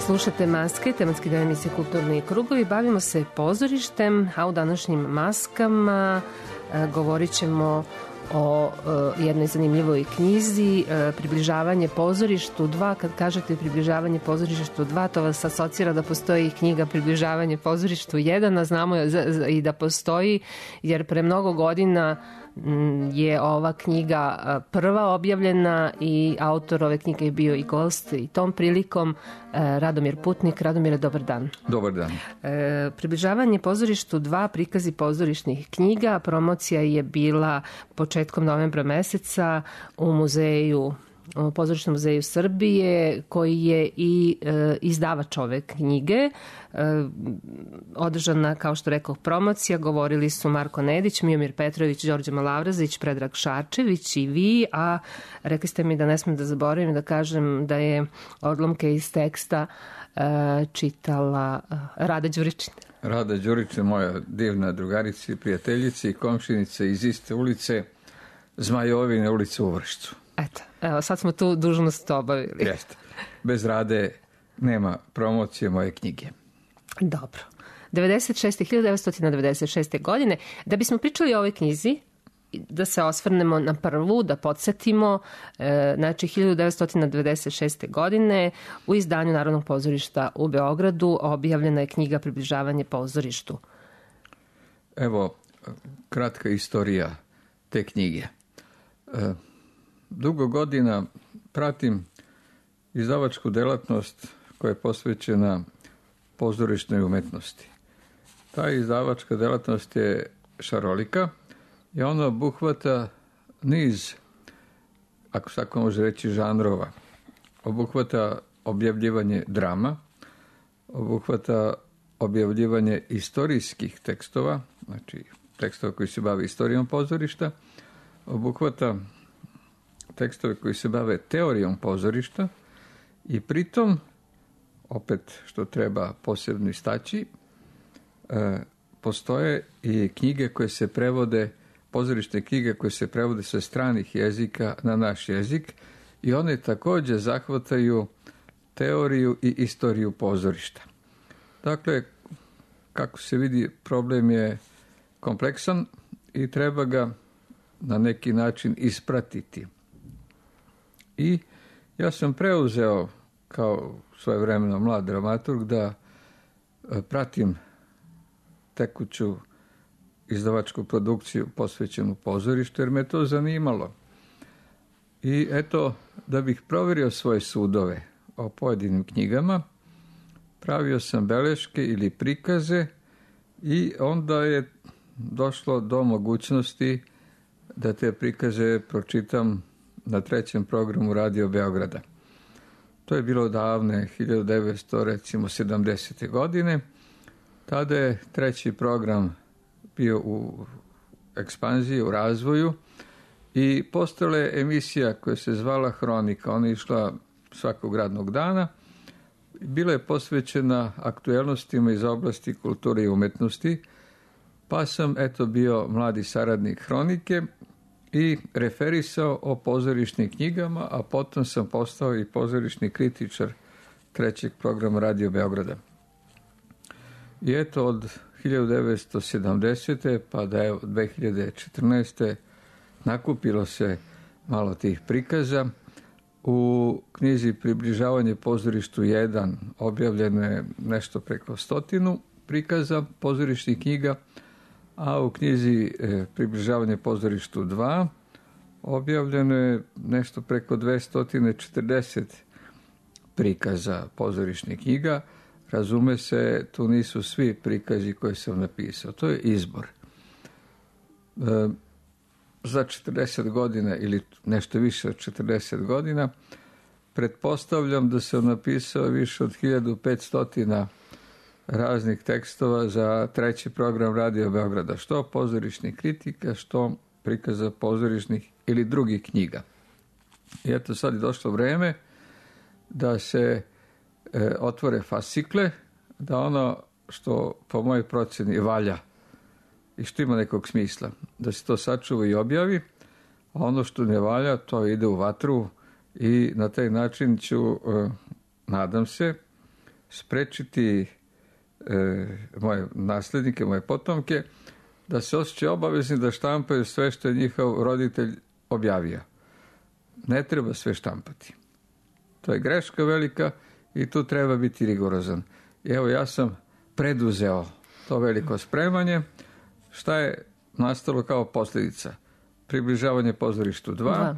Slušate Maske, tematski deo emisije Kulturni krugovi. Bavimo se pozorištem, a u današnjim maskama govorit ćemo o jednoj zanimljivoj knjizi Približavanje pozorištu 2. Kad kažete Približavanje pozorištu 2, to vas asocira da postoji knjiga Približavanje pozorištu 1, a znamo i da postoji, jer pre mnogo godina je ova knjiga prva objavljena i autor ove knjige je bio i gost i tom prilikom Radomir Putnik. Radomire, dobar dan. Dobar dan. Približavanje pozorištu 2, prikazi pozorišnih knjiga. Promocija je bila početkom novembra meseca u muzeju, u Pozorišnom muzeju Srbije, koji je i izdavač ove knjige. Održana, kao što rekao, promocija. Govorili su Marko Nedić, Miomir Petrović, Đorđe Malavrazić, Predrag Šarčević i vi, a rekli ste mi da ne smem da zaboravim da kažem da je odlomke iz teksta čitala Rada Đuričin. Rada Đuričin, moja divna drugarica i prijateljica i komšinica iz iste ulice, Zmajovine ulice u Vršcu. Evo, sad smo tu dužnost obavili. Jeste. Bez Rade nema promocije moje knjige. Dobro. 1996. godine. Da bismo pričali o ovoj knjizi, da se osvrnemo na prvu, da podsjetimo, znači 1996. godine u izdanju Narodnog pozorišta u Beogradu objavljena je knjiga Približavanje pozorištu. Evo, kratka istorija te knjige. Dugo godina pratim izdavačku delatnost koja je posvećena pozorišnoj umetnosti. Ta izdavačka delatnost je šarolika i ona obuhvata niz, ako se tako može reći, žanrova. Obuhvata objavljivanje drama, obuhvata objavljivanje istorijskih tekstova, znači tekstova koji se bave istorijom pozorišta, obuhvata tekstove koji se bave teorijom pozorišta i pritom, opet što treba posebno istaći, postoje i knjige koje se prevode, pozorišne knjige koje se prevode sa stranih jezika na naš jezik i one također zahvataju teoriju i istoriju pozorišta. Dakle, kako se vidi, problem je kompleksan i treba ga na neki način ispratiti. I ja sam preuzeo kao svojevremeno mlad dramaturg da pratim tekuću izdavačku produkciju posvećenu pozorištu, jer me to zanimalo. I eto, da bih provjerio svoje sudove o pojedinim knjigama, pravio sam beleške ili prikaze i onda je došlo do mogućnosti da te prikaze pročitam na 3. programu Radio Beograda. To je bilo davne 1970. godine. Tada je 3. program bio u ekspanziji, u razvoju i postala je emisija koja se zvala Hronika. Ona je išla svakog radnog dana. Bila je posvećena aktuelnostima iz oblasti kulture i umetnosti, pa sam bio mladi saradnik Hronike i referisao o pozorišnim knjigama, a potom sam postao i pozorišni kritičar 3. programa Radio Beograda. I eto, od 1970. pa da je od 2014. nakupilo se malo tih prikaza. U knjizi Približavanje pozorištu 1 objavljeno je nešto preko 100 prikaza pozorišnih knjiga, a u knjizi Približavanje pozorištu 2 objavljeno je nešto preko 240 prikaza pozorišnih knjiga. Razume se, tu nisu svi prikazi koje sam napisao. To je izbor. Za 40 godina ili nešto više od 40 godina pretpostavljam da sam napisao više od 1500 raznih tekstova za 3. program Radio Beograda, što pozorišnih kritika, što prikaza pozorišnih ili drugih knjiga. I eto, sad je došlo vreme da se otvore fascikle, da ono što po mojoj procjeni valja i što ima nekog smisla, da se to sačuva i objavi, a ono što ne valja, to ide u vatru i na taj način ću, nadam se, sprečiti moje naslednike, moje potomke, da se osjećaju obavezni da štampaju sve što je njihov roditelj objavio. Ne treba sve štampati. To je greška velika i tu treba biti rigorozan. I evo, ja sam preduzeo to veliko spremanje. Šta je nastalo kao posljedica? Približavanje pozorištu 2,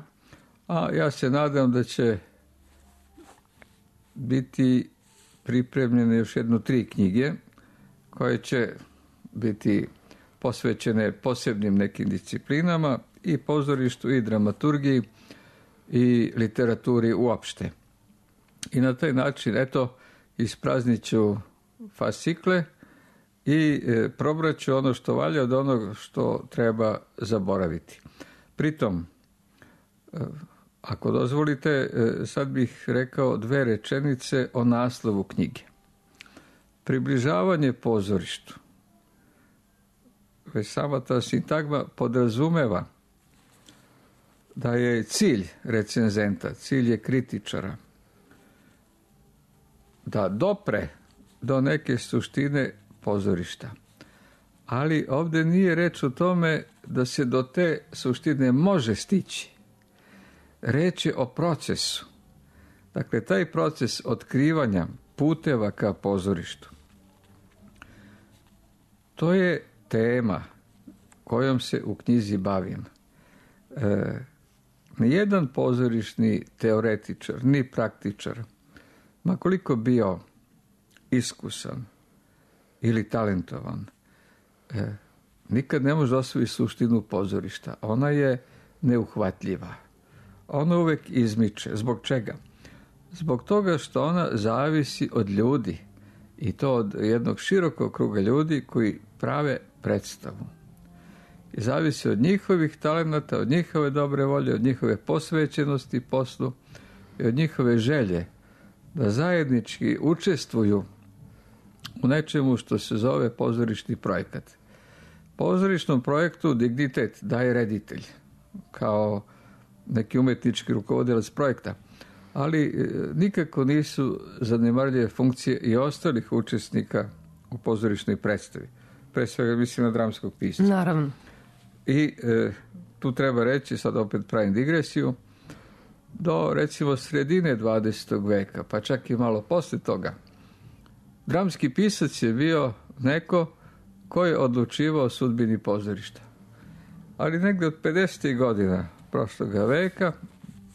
a ja se nadam da će biti pripremljene još 3 knjige koje će biti posvećene posebnim nekim disciplinama i pozorištu i dramaturgiji i literaturi uopšte. I na taj način, eto, ispraznit ću fascikle i probraću ono što valja od onog što treba zaboraviti. Pritom, ako dozvolite, sad bih rekao 2 rečenice o naslovu knjige. Približavanje pozorištu. Već sama ta sintagma podrazumeva da je cilj recenzenta, cilj je kritičara, da dopre do neke suštine pozorišta. Ali ovdje nije reč o tome da se do te suštine može stići. Reč je o procesu. Dakle, taj proces otkrivanja puteva ka pozorištu. To je tema kojom se u knjizi bavim. Nijedan pozorišni teoretičar, ni praktičar, ma koliko bio iskusan ili talentovan, nikad ne može osvojiti suštinu pozorišta. Ona je neuhvatljiva. Ona uvek izmiče. Zbog čega? Zbog toga što ona zavisi od ljudi. I to od jednog širokog kruga ljudi koji prave predstavu. I zavisi od njihovih talenata, od njihove dobre volje, od njihove posvećenosti poslu i od njihove želje da zajednički učestvuju u nečemu što se zove pozorišni projekat. Pozorišnom projektu dignitet daje reditelj kao neki umetnički rukovodilac projekta, ali nikako nisu zanemarljive funkcije i ostalih učesnika u pozorišnoj predstavi. Pre svega mislim na dramskog pisca. Naravno. I tu treba reći, sad opet pravim digresiju, do recimo sredine 20. veka, pa čak i malo posle toga, dramski pisac je bio neko ko je odlučivao o sudbini pozorišta. Ali negde od 50. godina prošlog veka,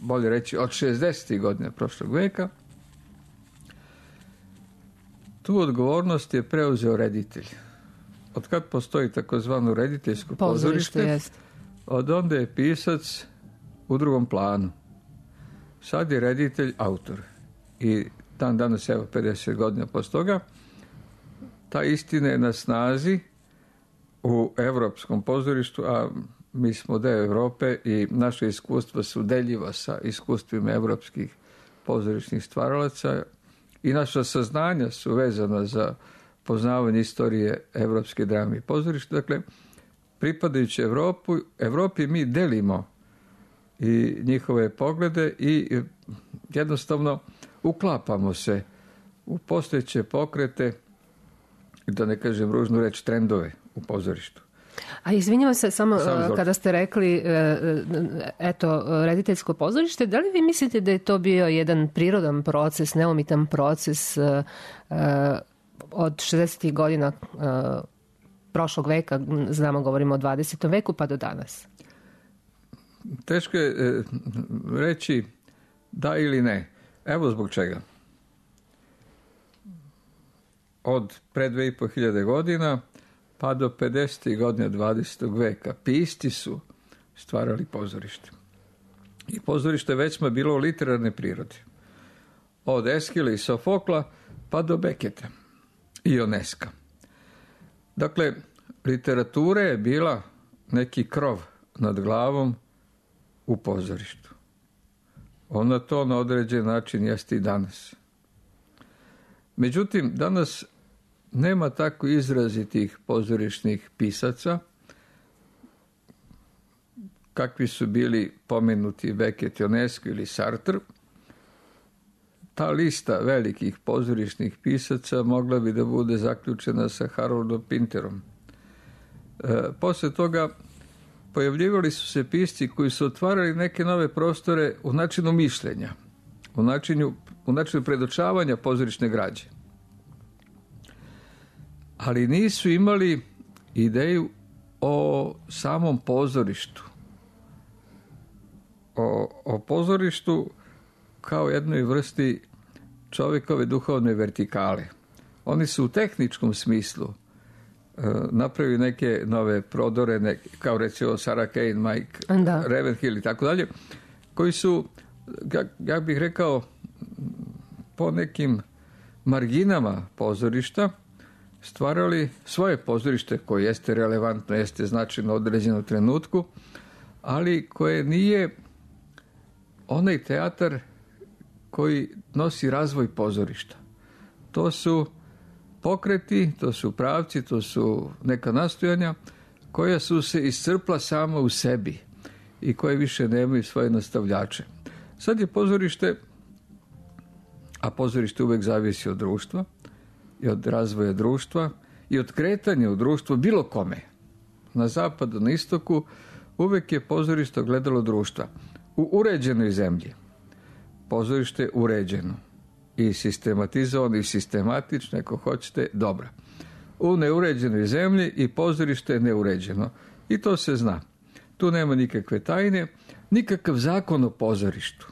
bolje reći od 60. godina prošlog veka, tu odgovornost je preuzeo reditelj. Od kad postoji takozvano rediteljsko pozorište, od onda je pisac u drugom planu. Sad je reditelj autor. I dan danas, evo 50 godina posle toga, ta istina je na snazi u evropskom pozorištu, a mi smo deo Evrope i naše iskustva su deljiva sa iskustvima evropskih pozorišnih stvaralaca i naša saznanja su vezana za poznavanje istorije evropske drame i pozorišta. Dakle, pripadajući Evropi mi delimo i njihove poglede i jednostavno uklapamo se u postojeće pokrete, da ne kažem ružnu reč, trendove u pozorištu. A izvinjavam se, samo kada ste rekli eto, rediteljsko pozorište, da li vi mislite da je to bio jedan prirodan proces, neumitan proces od 60. godina prošlog veka, znamo, govorimo o 20. veku, pa do danas? Teško je reći da ili ne. Evo zbog čega. Od pre 2500 godina pa do 50. godina 20. veka pisci su stvarali pozorište. I pozorište već smo bilo u literarne prirode. Od Eskila i Sofokla pa do Beketa i Ioneska. Dakle, literatura je bila neki krov nad glavom u pozorištu. Ona to na određen način jeste i danas. Međutim, danas nema tako izrazitih pozorišnih pisaca kakvi su bili pomenuti Beckett, Ionesco ili Sartre. Ta lista velikih pozorišnih pisaca mogla bi da bude zaključena sa Haroldom Pinterom. Posle toga pojavljivali su se pisci koji su otvarali neke nove prostore u načinu mišljenja, u načinu predočavanja pozorišne građe. Ali nisu imali ideju o samom pozorištu. O pozorištu kao jednoj vrsti čovjekove duhovne vertikale. Oni su u tehničkom smislu napravili neke nove prodore, kao recimo Sarah Kane, Mike Ravenhill i tako dalje, koji su, ja bih rekao, po nekim marginama pozorišta stvarali svoje pozorište koje jeste relevantno, jeste značajno određeno trenutku, ali koje nije onaj teatar koji nosi razvoj pozorišta. To su pokreti, to su pravci, to su neka nastojanja koja su se iscrpla sama u sebi i koje više nemaju svoje nastavljače. Sad je pozorište, a pozorište uvek zavisi od društva i od razvoja društva i od kretanja u društvu bilo kome. Na zapadu, na istoku, uvek je pozorište ogledalo društva. U uređenoj zemlji pozorište je uređeno i sistematizovano i sistematično, ako hoćete, dobro. U neuređenoj zemlji i pozorište je neuređeno. I to se zna. Tu nema nikakve tajne, nikakav zakon o pozorištu.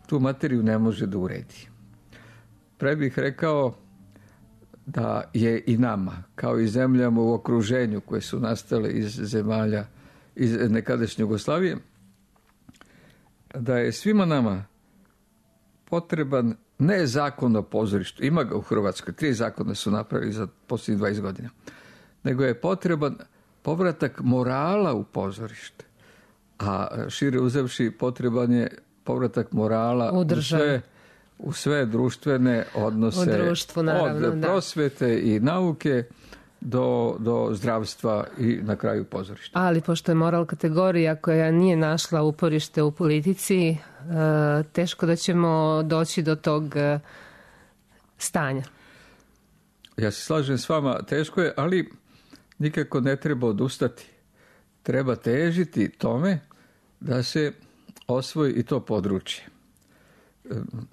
Tu materiju ne može da uredi. Pre bih rekao, da je i nama, kao i zemljama u okruženju koje su nastale iz zemalja iz nekadašnje Jugoslavije, da je svima nama potreban ne zakon o pozorištu, ima ga u Hrvatskoj, 3 zakona su napravili za posljednjih 20 godina, nego je potreban povratak morala u pozorište, a šire uzevši potreban je povratak morala u sve društvene odnose, u društvu, naravno, od prosvete i nauke do zdravstva i na kraju pozorišta. Ali pošto je moral kategorija koja nije našla uporište u politici, teško da ćemo doći do tog stanja. Ja se slažem s vama, teško je, ali nikako ne treba odustati. Treba težiti tome da se osvoji i to područje.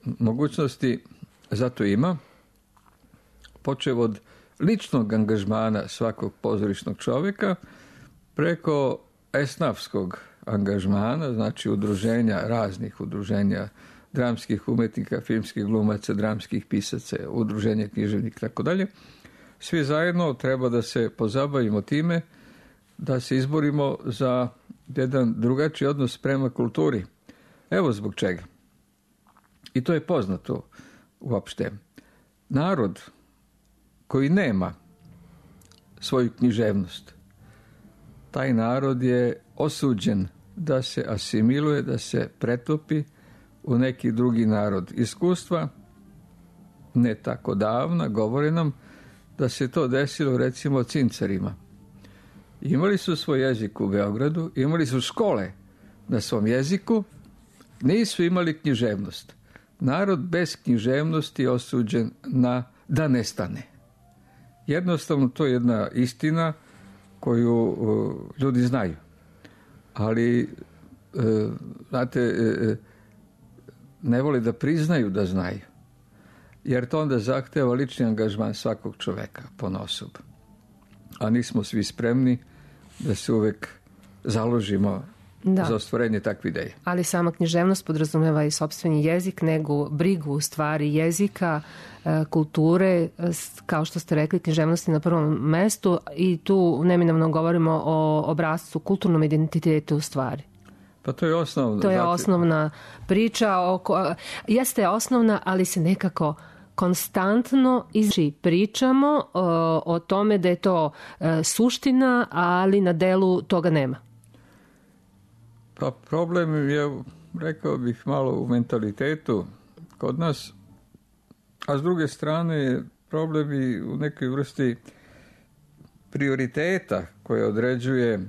Mogućnosti zato ima, počev od ličnog angažmana svakog pozorišnog čovjeka, preko esnafskog angažmana, znači udruženja, raznih udruženja dramskih umjetnika, filmskih glumaca, dramskih pisaca, udruženja književnika i tako dalje. Svi zajedno treba da se pozabavimo time, da se izborimo za jedan drugačiji odnos prema kulturi. Evo zbog čega. I to je poznato uopšte. Narod koji nema svoju književnost, taj narod je osuđen da se asimiluje, da se pretopi u neki drugi narod. Iskustva ne tako davna govore nam da se to desilo recimo Cincarima. Imali su svoj jezik u Beogradu, imali su škole na svom jeziku, nisu imali književnost. Narod bez književnosti je osuđen da nestane. Jednostavno to je jedna istina koju ljudi znaju. Ali, znate, ne vole da priznaju da znaju. Jer to onda zahteva lični angažman svakog čoveka ponosob. A nismo svi spremni da se uvek založimo za ostvarenje takve ideje. Ali sama književnost podrazumeva i sopstveni jezik, nego brigu u stvari jezika, kulture, kao što ste rekli, književnosti na prvom mestu i tu neminovno govorimo o obrascu, kulturnom identitetu u stvari. Pa to je osnovno. To je osnovna priča, jeste osnovna, ali se nekako konstantno pričamo o tome da je to suština, ali na delu toga nema. Pa problem je, rekao bih, malo u mentalitetu kod nas, a s druge strane problem i u nekoj vrsti prioriteta koje određuje,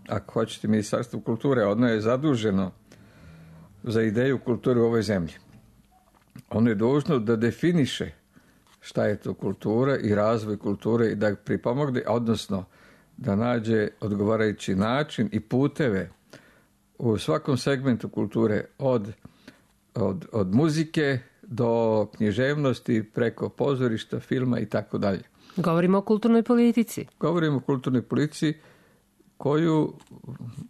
ako hoćete, Ministarstvo kulture. Ono je zaduženo za ideju kulture u ovoj zemlji. Ono je dužno da definiše šta je to kultura i razvoj kulture i da pripomogne, odnosno da nađe odgovarajući način i puteve u svakom segmentu kulture, od muzike do književnosti, preko pozorišta, filma i tako dalje. Govorimo o kulturnoj politici. Govorimo o kulturnoj politici koju,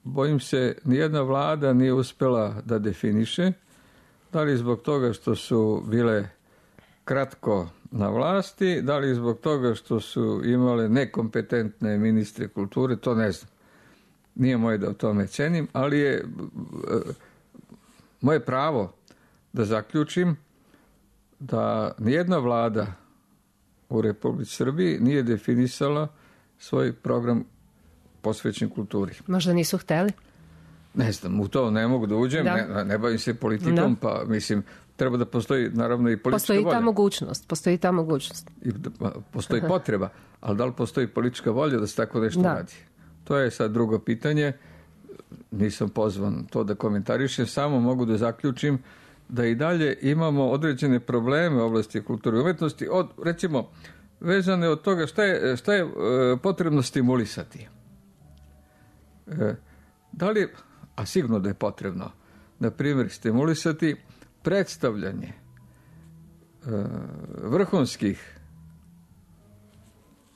bojim se, nijedna vlada nije uspjela da definiše, da li zbog toga što su bile kratko na vlasti, da li zbog toga što su imale nekompetentne ministre kulture, to ne znam. Nije moje da o tome cenim, ali je moje pravo da zaključim da nijedna vlada u Republici Srbiji nije definisala svoj program posvećen kulturi. Možda nisu hteli? Ne znam, u to ne mogu da uđem, ne bavim se politikom, pa mislim, treba da postoji naravno i politička volja. Postoji ta mogućnost. Postoji potreba, ali da li postoji politička volja da se tako nešto radi? To je sad drugo pitanje, nisam pozvan to da komentarišem, samo mogu da zaključim da i dalje imamo određene probleme u oblasti kulture i umetnosti, recimo, vezane od toga šta je potrebno stimulisati. Da li, a sigurno da je potrebno, na primjer, stimulisati predstavljanje vrhunskih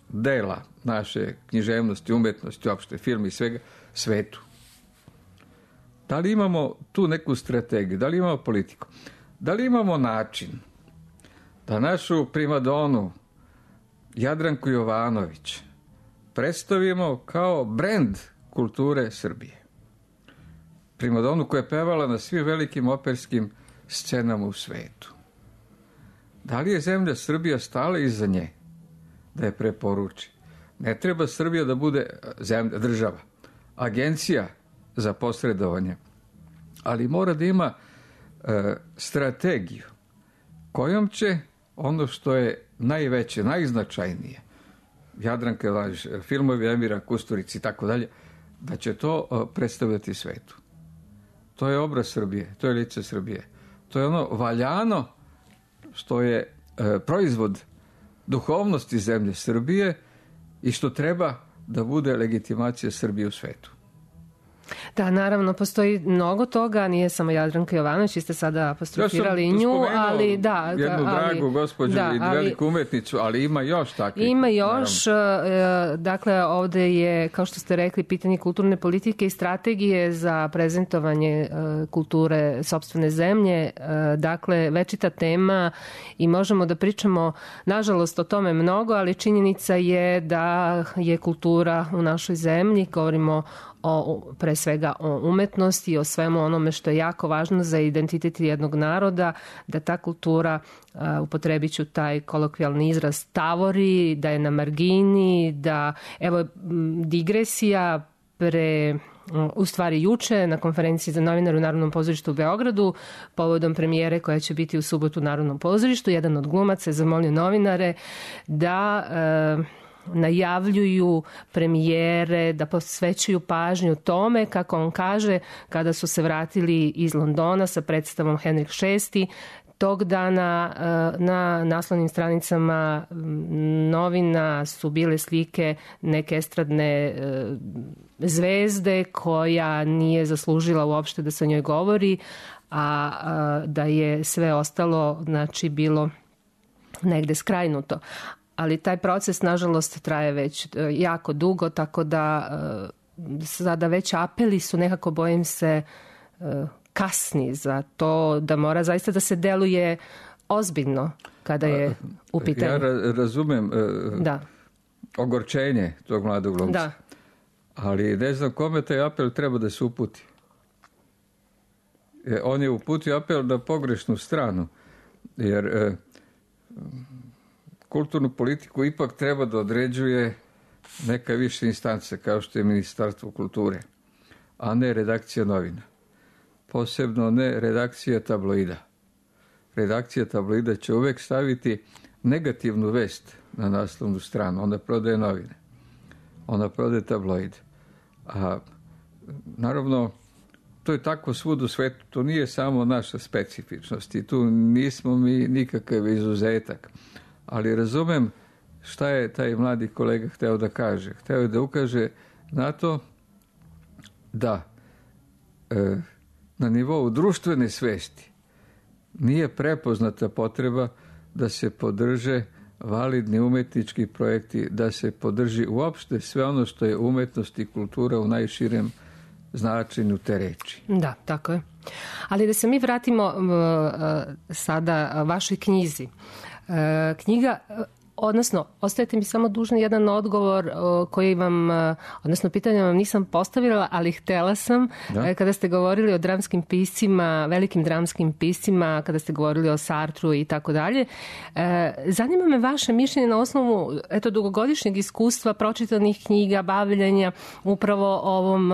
dela naše književnosti, umetnosti, uopšte film i svega, svetu. Da li imamo tu neku strategiju, da li imamo politiku, da li imamo način da našu primadonu Jadranku Jovanović predstavimo kao brend kulture Srbije. Primadonu koja je pevala na svim velikim operskim scenama u svetu. Da li je zemlja Srbija stala iza nje da je preporuči? Ne treba Srbija da bude zemlja, država, agencija za posredovanje, ali mora da ima strategiju kojom će ono što je najveće, najznačajnije, Jadranka Jovanović, filmovi Emira Kusturice i tako dalje, da će to predstavljati svetu. To je obraz Srbije, to je lice Srbije. To je ono valjano što je proizvod duhovnosti zemlje Srbije i što treba da bude legitimacija Srbije u svetu. Da, naravno, postoji mnogo toga, nije samo Jadranka Jovanović, vi ste sada apostrofirali nju, ali da. Jednu dragu gospođu i veliku umetnicu, ali ima još takvih. Ima još, dakle, ovde je, kao što ste rekli, pitanje kulturne politike i strategije za prezentovanje kulture sopstvene zemlje, dakle, večita tema i možemo da pričamo, nažalost, o tome mnogo, ali činjenica je da je kultura u našoj zemlji, govorimo pre svega o umetnosti i o svemu onome što je jako važno za identitet jednog naroda, da ta kultura, upotrebit ću taj kolokvijalni izraz, tavori, da je na margini, da, evo, digresija u stvari juče na konferenciji za novinare u Narodnom pozorištu u Beogradu, povodom premijere koja će biti u subotu u Narodnom pozorištu, jedan od glumaca je zamolio novinare da najavljuju premijere, da posvećuju pažnju tome, kako on kaže, kada su se vratili iz Londona sa predstavom Henrik VI. Tog dana na naslovnim stranicama novina su bile slike neke estradne zvezde koja nije zaslužila uopšte da se o njoj govori, a da je sve ostalo, znači, bilo negde skrajnuto. Ali taj proces, nažalost, traje već jako dugo, tako da sada već apeli su nekako, bojim se, kasni za to da mora zaista da se deluje ozbiljno kada je u pitanju. Ja razumem ogorčenje tog mladog glumca, da. Ali ne znam kome taj apel treba da se uputi. On je uputio apel na pogrešnu stranu, jer kulturnu politiku ipak treba da određuje neka više instance, kao što je Ministarstvo kulture, a ne redakcija novina. Posebno ne redakcija tabloida. Redakcija tabloida će uvek staviti negativnu vest na naslovnu stranu. Ona prodaje novine. Ona prodaje tabloid. A naravno, to je tako svud u svetu. To nije samo naša specifičnost i tu nismo mi nikakav izuzetak. Ali razumem šta je taj mladi kolega hteo da kaže. Hteo je da ukaže na to da na nivou društvene svesti nije prepoznata potreba da se podrže validni umetnički projekti, da se podrži uopšte sve ono što je umetnost i kultura u najširem značenju te reči. Da, tako je. Ali da se mi vratimo sada vašoj knjizi. Knjiga, odnosno, ostajete mi samo dužni jedan odgovor koji vam, odnosno pitanje vam nisam postavila, ali htela sam, kada ste govorili o dramskim piscima, velikim dramskim piscima, kada ste govorili o Sartru i tako dalje. Zanima me vaše mišljenje na osnovu dugogodišnjeg iskustva, pročitanih knjiga, bavljenja upravo ovom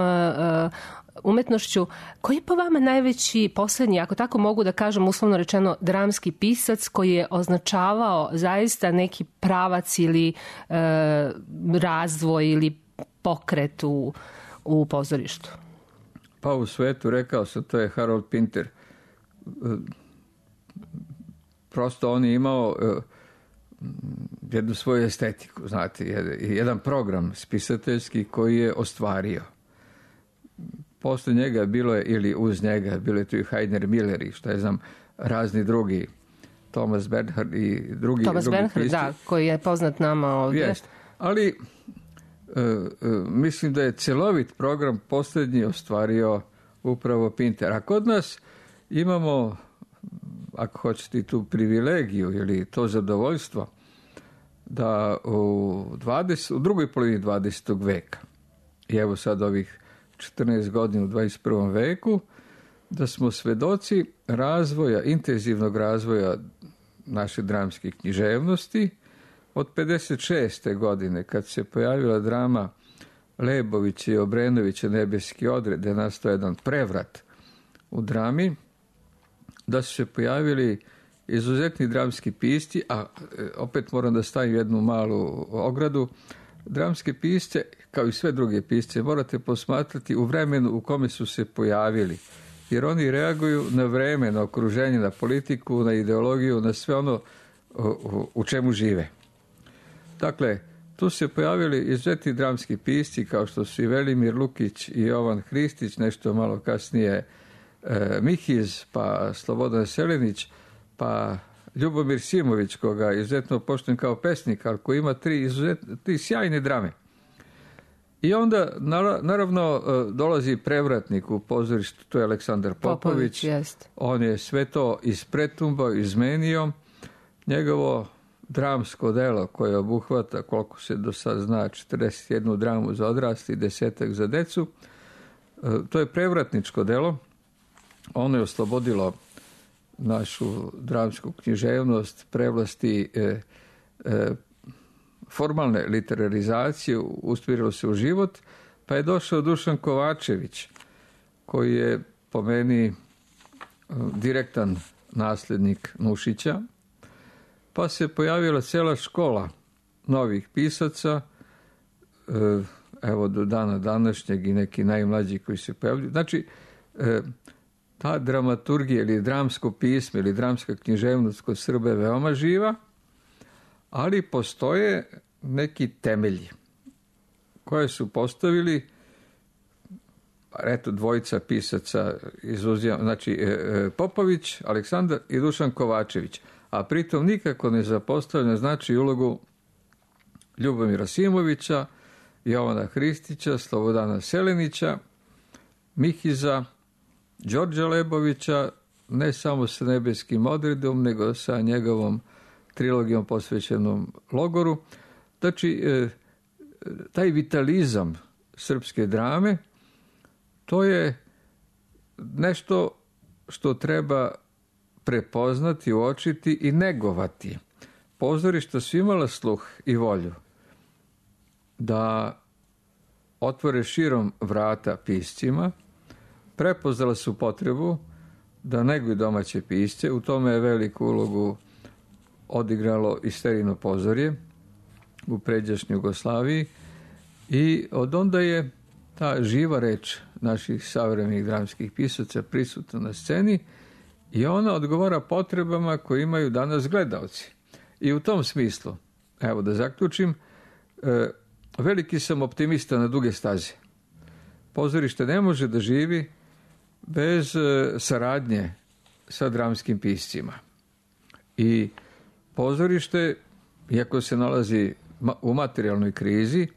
umetnošću. Koji je po vama najveći poslednji, ako tako mogu da kažem uslovno rečeno, dramski pisac koji je označavao zaista neki pravac ili razvoj ili pokret u pozorištu? Pa u svetu, rekao sam, to je Harold Pinter. Prosto on je imao jednu svoju estetiku, znate, jedan program spisateljski koji je ostvario. Posle njega bilo je, ili uz njega, bilo je tu i Heiner Miller i šta je znam, razni drugi, Thomas Bernhard i drugi Thomas Bernhard, da, koji je poznat nama ovdje. Jest. Ali mislim da je celovit program posljednji ostvario upravo Pinter. A kod nas imamo, ako hoćete, tu privilegiju ili to zadovoljstvo da u drugoj polovini 20. veka i evo sad ovih 14 godina u 21. veku, da smo svedoci razvoja, intenzivnog razvoja naše dramske književnosti. Od 56. godine, kad se pojavila drama Lebovića i Obrenovića Nebeski odred, da je nastao jedan prevrat u drami, da su se pojavili izuzetni dramski pisci, a opet moram da stavim jednu malu ogradu, dramske pisce, kao i sve druge pisce, morate posmatrati u vremenu u kome su se pojavili, jer oni reaguju na vreme, na okruženje, na politiku, na ideologiju, na sve ono u čemu žive. Dakle, tu se pojavili izuzetni dramski pisci, kao što su i Velimir Lukić i Jovan Hristić, nešto malo kasnije Mihiz, pa Slobodan Selenić, pa Ljubomir Simović, koga izuzetno poštujem kao pesnik, ali koji ima tri sjajne drame. I onda, naravno, dolazi prevratnik u pozorištu, to je Aleksandar Popović. On je sve to ispretumbao, izmenio. Njegovo dramsko delo koje obuhvata, koliko se do sad zna, 41 dramu za odrasli i 10 za decu, to je prevratničko delo. Ono je oslobodilo našu dramsku književnost, prevlasti formalne literarizacije, usmjerilo se u život, pa je došao Dušan Kovačević, koji je po meni direktan nasljednik Nušića, pa se pojavila cela škola novih pisaca, evo do dana današnjeg i neki najmlađi koji se pojavljaju. Znači, ta dramaturgija ili dramsko pismo ili dramska književnost kod Srba je veoma živa, ali postoje neki temelji koje su postavili, eto, dvojica pisaca, znači Popović, Aleksandar i Dušan Kovačević, a pritom nikako ne zapostavlja znači ulogu Ljubomira Simovića, Jovana Hristića, Slobodana Selenića, Mihiza, Đorđa Lebovića, ne samo sa Nebeskim odredom, nego sa njegovom trilogijom posvećenom logoru. Znači, taj vitalizam srpske drame, to je nešto što treba prepoznati, uočiti i negovati. Pozorišta su imala sluh i volju da otvore širom vrata piscima, prepoznala su potrebu da neguju domaće pisce, u tome je veliku ulogu odigralo i Sterino pozorje u pređašnjoj Jugoslaviji i od onda je ta živa reč naših savremenih dramskih pisaca prisutna na sceni i ona odgovara potrebama koje imaju danas gledaoci. I u tom smislu, evo da zaključim, veliki sam optimista na duge staze. Pozorište ne može da živi bez saradnje sa dramskim piscima. I pozorište, iako se nalazi u materijalnoj krizi,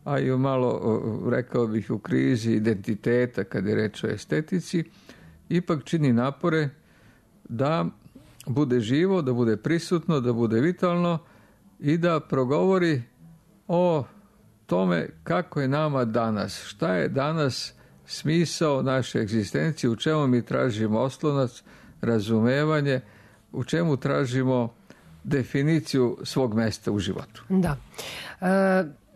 a i malo, rekao bih, u krizi identiteta kad je reč o estetici, ipak čini napore da bude živo, da bude prisutno, da bude vitalno i da progovori o tome kako je nama danas, šta je danas smisao naše egzistencije, u čemu mi tražimo oslonac, razumevanje, u čemu tražimo definiciju svog mesta u životu. Da.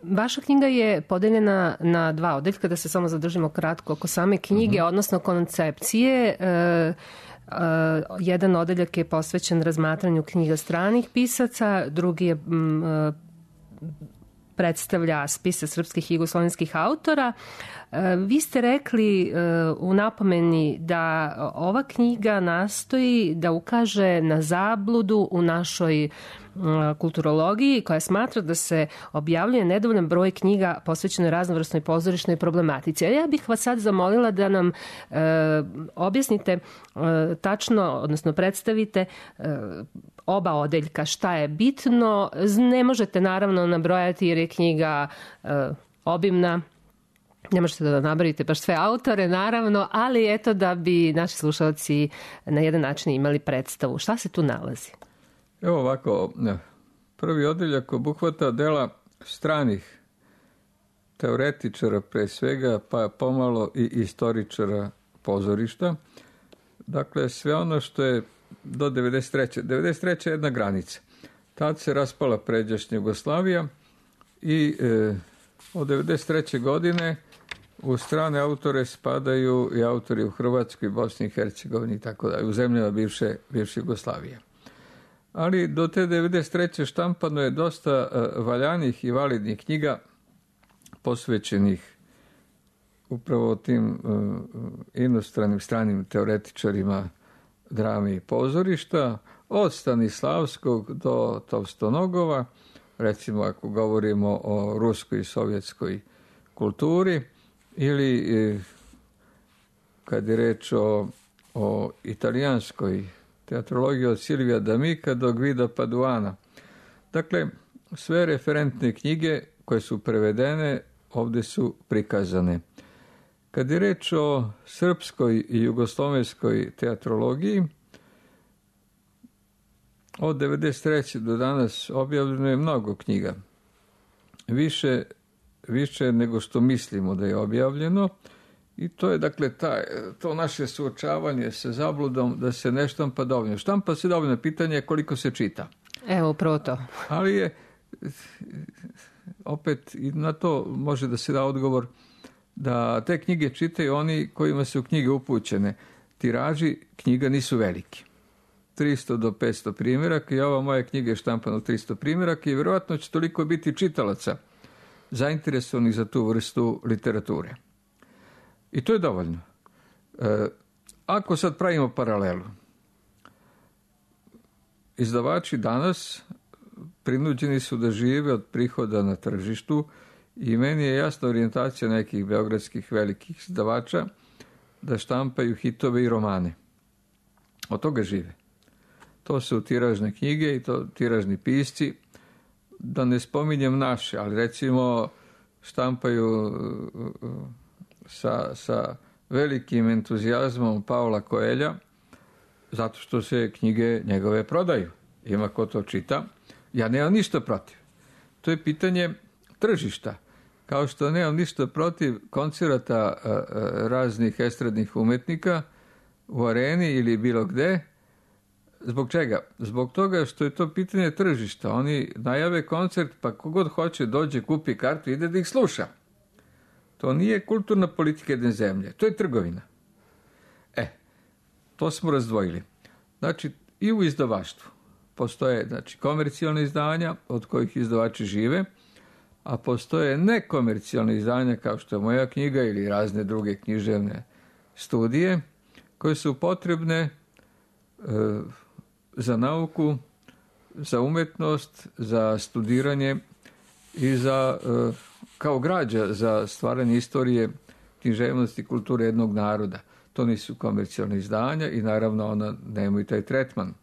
Vaša knjiga je podeljena na 2 odeljka, da se samo zadržimo kratko oko same knjige, odnosno koncepcije. Jedan odeljak je posvećen razmatranju knjiga stranih pisaca, drugi je predstavlja spise srpskih i jugoslovenskih autora. Vi ste rekli u napomeni da ova knjiga nastoji da ukaže na zabludu u našoj kulturologiji koja smatra da se objavljuje nedovoljan broj knjiga posvećenoj raznovrsnoj pozorišnoj problematici. A ja bih vas sad zamolila da nam objasnite tačno, odnosno predstavite oba odeljka, šta je bitno. Ne možete naravno nabrojati jer je knjiga obimna. Ne možete da nabrojite baš sve autore, naravno, ali eto da bi naši slušalci na jedan način imali predstavu. Šta se tu nalazi? Evo ovako, Prvi odeljak obuhvata dela stranih teoretičara pre svega, pa pomalo i istoričara pozorišta. Dakle, sve ono što je do 93. 93. je jedna granica. Tad se raspala pređašnja Jugoslavija i od 93. godine u strane autore spadaju i autori u Hrvatskoj, Bosni i Hercegovini i tako dalje, u zemljama bivše Jugoslavije. Ali do te 93. štampano je dosta valjanih i validnih knjiga posvećenih upravo tim inostranim, stranim teoretičarima drame i pozorišta, od Stanislavskog do Tovstonogova, recimo ako govorimo o ruskoj i sovjetskoj kulturi, ili kad je reč o italijanskoj teatrologiji od Silvija D'Amica do Guida Paduana. Dakle, sve referentne knjige koje su prevedene ovdje su prikazane. Kad je reč o srpskoj i jugoslovenskoj teatrologiji, od 93. do danas objavljeno je mnogo knjiga. Više nego što mislimo da je objavljeno, i to je dakle to naše suočavanje sa zabludom da se ne štampa dovoljno. Štampa se dovoljno, pitanje je koliko se čita. Evo, upravo to. Ali je, opet i na to može da se da odgovor, da te knjige čitaju oni kojima su knjige upućene. Tiraži knjiga nisu veliki. 300 do 500 primjeraka i ova moja knjiga je štampana u 300 primjeraka i vjerojatno će toliko biti čitalaca zainteresovanih za tu vrstu literature. I to je dovoljno. Ako sad pravimo paralelu, izdavači danas prinuđeni su da žive od prihoda na tržištu i meni je jasna orijentacija nekih beogradskih velikih izdavača da štampaju hitove i romane. Od toga žive. To su tiražne knjige i to tiražni pisci, da ne spominjem naše, ali recimo štampaju sa velikim entuzijazmom Paula Coelha, zato što se knjige njegove prodaju. Ima ko to čita. Ja nemam ništa protiv. To je pitanje tržišta. Kao što nemam ništa protiv koncerata raznih estradnih umetnika u areni ili bilo gde. Zbog čega? Zbog toga što je to pitanje tržišta. Oni najave koncert, pa kogod hoće dođe, kupi kartu, ide da ih sluša. To nije kulturna politika jedne zemlje. To je trgovina. To smo razdvojili. Znači, i u izdavaštvu postoje komercijalne izdanja od kojih izdavači žive, a postoje nekomercijalne izdanja kao što je moja knjiga ili razne druge književne studije koje su potrebne za nauku, za umetnost, za studiranje i za, kao građa za stvaranje istorije, književnosti i kulture jednog naroda. To nisu komercijalne izdanja i naravno ona nemaju taj tretman.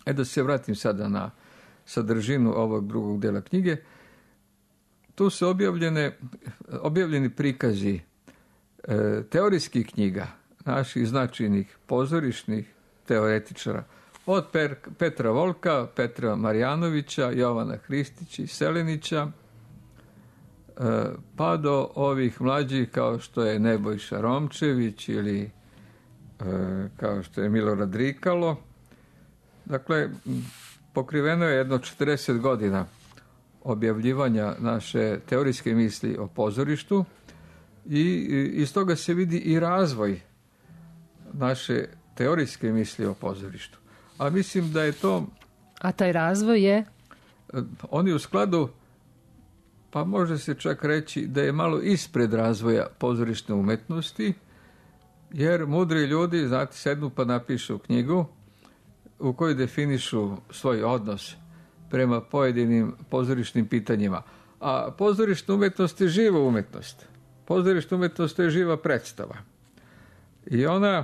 Da se vratim sada na sadržinu ovog drugog dela knjige. Tu su objavljeni prikazi teorijskih knjiga naših značajnih pozorišnih teoretičara, od Petra Volka, Petra Marjanovića, Jovana Hristića i Selenića, pa do ovih mlađih kao što je Nebojša Romčević ili kao što je Milorad Rikalo. Dakle, pokriveno je jedno 40 godina objavljivanja naše teorijske misli o pozorištu i iz toga se vidi i razvoj naše teorijske misli o pozorištu. A mislim da je to... A taj razvoj je? On je u skladu, pa može se čak reći da je malo ispred razvoja pozorišne umetnosti, jer mudri ljudi, znate, sednu pa napišu knjigu u kojoj definišu svoj odnos prema pojedinim pozorišnim pitanjima. A pozorišna umetnost je živa umetnost. Pozorišna umetnost je živa predstava. I ona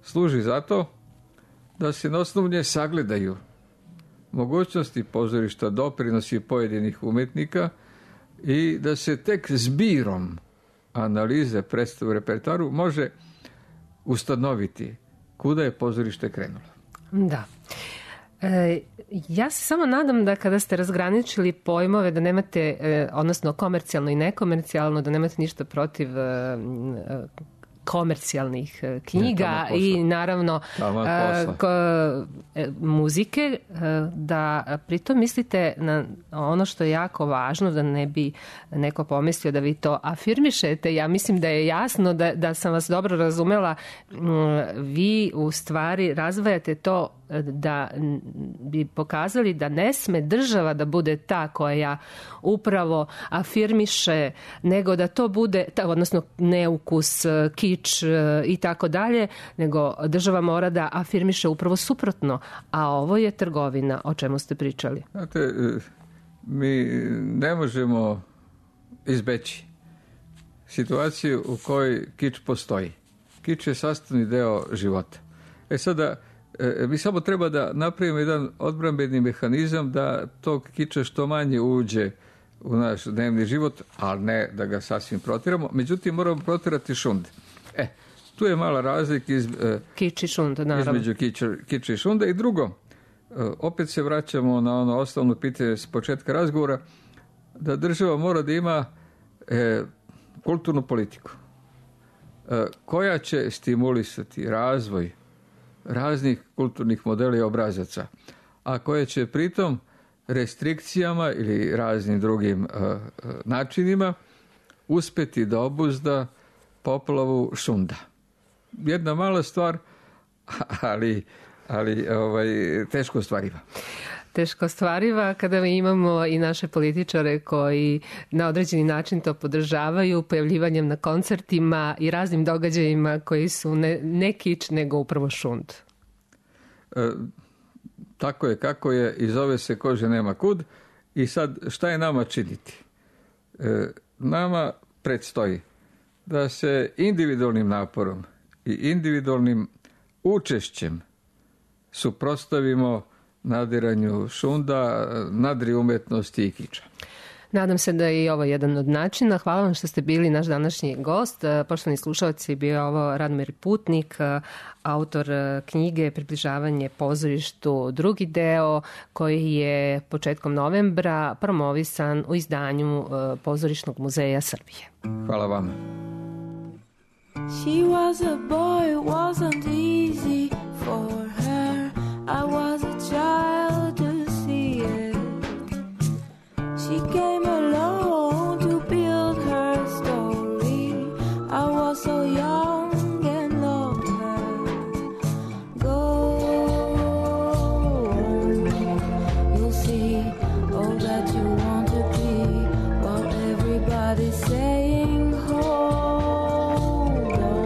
služi zato da se na osnovu nje sagledaju mogućnosti pozorišta, doprinosi pojedinih umetnika i da se tek zbirom analize predstave u repertoaru može ustanoviti kuda je pozorište krenulo. Da. Ja se samo nadam da kada ste razgraničili pojmove da nemate, odnosno komercijalno i nekomercijalno, da nemate ništa protiv komercijalnih knjiga i naravno muzike, da pritom mislite na ono što je jako važno, da ne bi neko pomislio da vi to afirmišete. Ja mislim da je jasno da sam vas dobro razumela. Vi u stvari razvajate to da bi pokazali da ne sme država da bude ta koja upravo afirmiše, nego da to bude, odnosno neukus, kič i tako dalje, nego država mora da afirmiše upravo suprotno, a ovo je trgovina, o čemu ste pričali. Znate, mi ne možemo izbeći situaciju u kojoj kič postoji. Kič je sastavni deo života. Sada, mi samo treba da napravimo jedan odbrambeni mehanizam da tog kiča što manje uđe u naš dnevni život, ali ne da ga sasvim protiramo. Međutim, moramo protirati šund. Tu je mala razlika između kiča i šunda. I drugo, opet se vraćamo na ono osnovno pitanje s početka razgovora, da država mora da ima kulturnu politiku koja će stimulisati razvoj raznih kulturnih modela i obrazaca, a koje će pritom restrikcijama ili raznim drugim načinima uspeti da obuzda poplavu šunda. Jedna mala stvar, ali teško ostvariva. Teško ostvariva kada mi imamo i naše političare koji na određeni način to podržavaju pojavljivanjem na koncertima i raznim događajima koji su ne kič, nego upravo šund. Tako je kako je i zove se kože nema kud. I sad šta je nama činiti? Nama predstoji da se individualnim naporom i individualnim učešćem suprotstavimo nadiranju šunda, nadri umetnosti i kiča. Nadam se da je i ovo jedan od načina. Hvala vam što ste bili naš današnji gost. Poštovani slušalci, bio je ovo Radomir Putnik, autor knjige Približavanje pozorištu, drugi deo, koji je početkom novembra promovisan u izdanju Pozorišnog muzeja Srbije. Hvala vam. She was a boy, it wasn't easy for her. I was a child to see it. She came alone to build her story. I was so young and loved her. Go on, you'll see all that you want to be. While everybody's saying hold on,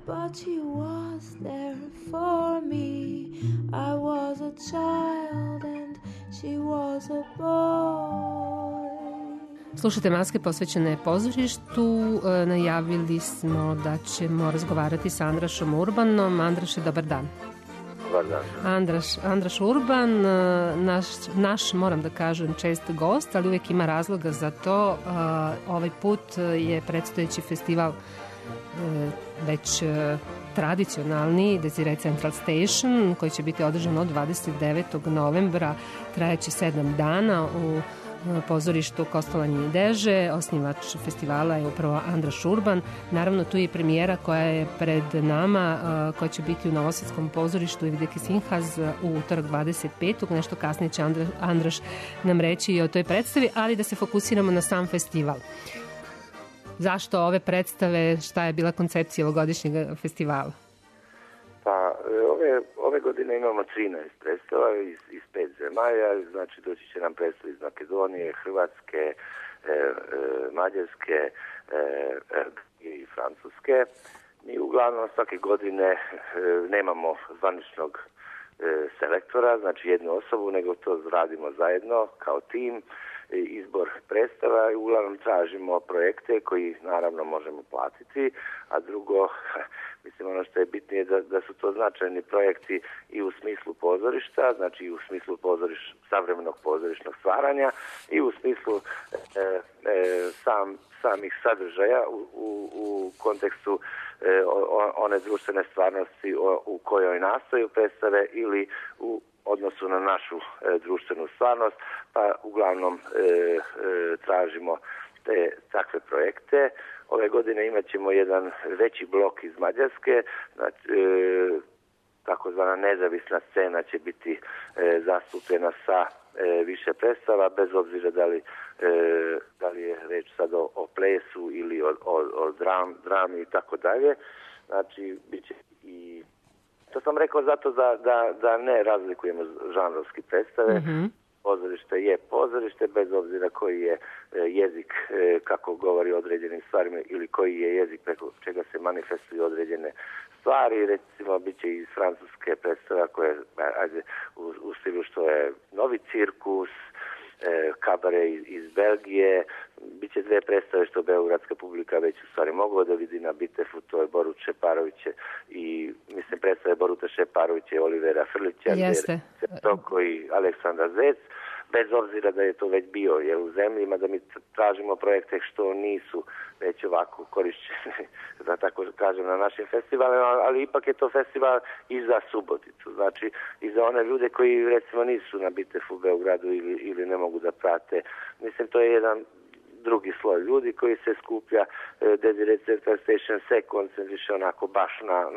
but she was there for me. I was a child and she was a boy. Slušate Maske posvećene pozorištu. Najavili smo da ćemo razgovarati sa Andrašom Urbanom. Andraše, dobar dan. Dobar dan. Andraš Urban, naš, moram da kažem, čest gost, ali uvijek ima razloga za to. Ovaj put je predstojeći festival već tradicionalni, Desire Central Station, koji će biti održan od 29. novembra, trajeće 7 dana u pozorištu Kostolanje i Deže. Osnivač festivala je upravo Andraš Urban. Naravno, tu je premijera koja je pred nama, koja će biti u Novosadskom pozorištu Evideke Sinhaz u utorak 25. Nešto kasnije će Andraš nam reći i o toj predstavi, ali da se fokusiramo na sam festival. Zašto ove predstave, šta je bila koncepcija ovogodišnjeg festivala? Pa, ove godine imamo 13 predstava iz 5 zemalja, znači doći će nam predstave iz Makedonije, Hrvatske, Mađarske i Francuske. Mi uglavnom svake godine nemamo zvaničnog selektora, znači jednu osobu, nego to radimo zajedno kao tim. Izbor predstava i uglavnom tražimo projekte koji naravno možemo platiti, a drugo, mislim ono što je bitnije da su to značajni projekti i u smislu pozorišta, znači i u smislu savremenog pozorišnog stvaranja i u smislu samih sadržaja u kontekstu one društvene stvarnosti u kojoj nastaju predstave ili u odnosu na našu društvenu stvarnost, pa uglavnom tražimo takve projekte. Ove godine imat ćemo jedan veći blok iz Mađarske, znači, takozvana nezavisna scena će biti zastupljena sa više predstava, bez obzira da li je reč sad o plesu ili o drami i tako dalje. Znači, bit će i... To sam rekao zato da ne razlikujemo žanrovski predstave. Mm-hmm. Pozorište je pozorište, bez obzira koji je jezik kako govori o određenim stvarima ili koji je jezik preko čega se manifestuju određene stvari. Recimo, bit će iz francuske predstava koje u stilu što je novi cirkus, kabare iz Belgije, bit će 2 predstave što beogradska publika već u stvari mogla da vidi na Bitefu, to je Borut Šeparović i mislim predstave Boruta Šeparovića i Olivera Frlića, Toko i Aleksandra Zec, bez obzira da je to već bio u zemljima, da mi tražimo projekte što nisu već ovako korišćeni, da tako kažem, na našim festivalima, ali ipak je to festival i za Suboticu, znači i za one ljude koji recimo nisu na Bitefu u Beogradu ili ne mogu da prate. Mislim, to je jedan drugi sloj ljudi koji se skuplja. Desire Central Station se koncentriše onako baš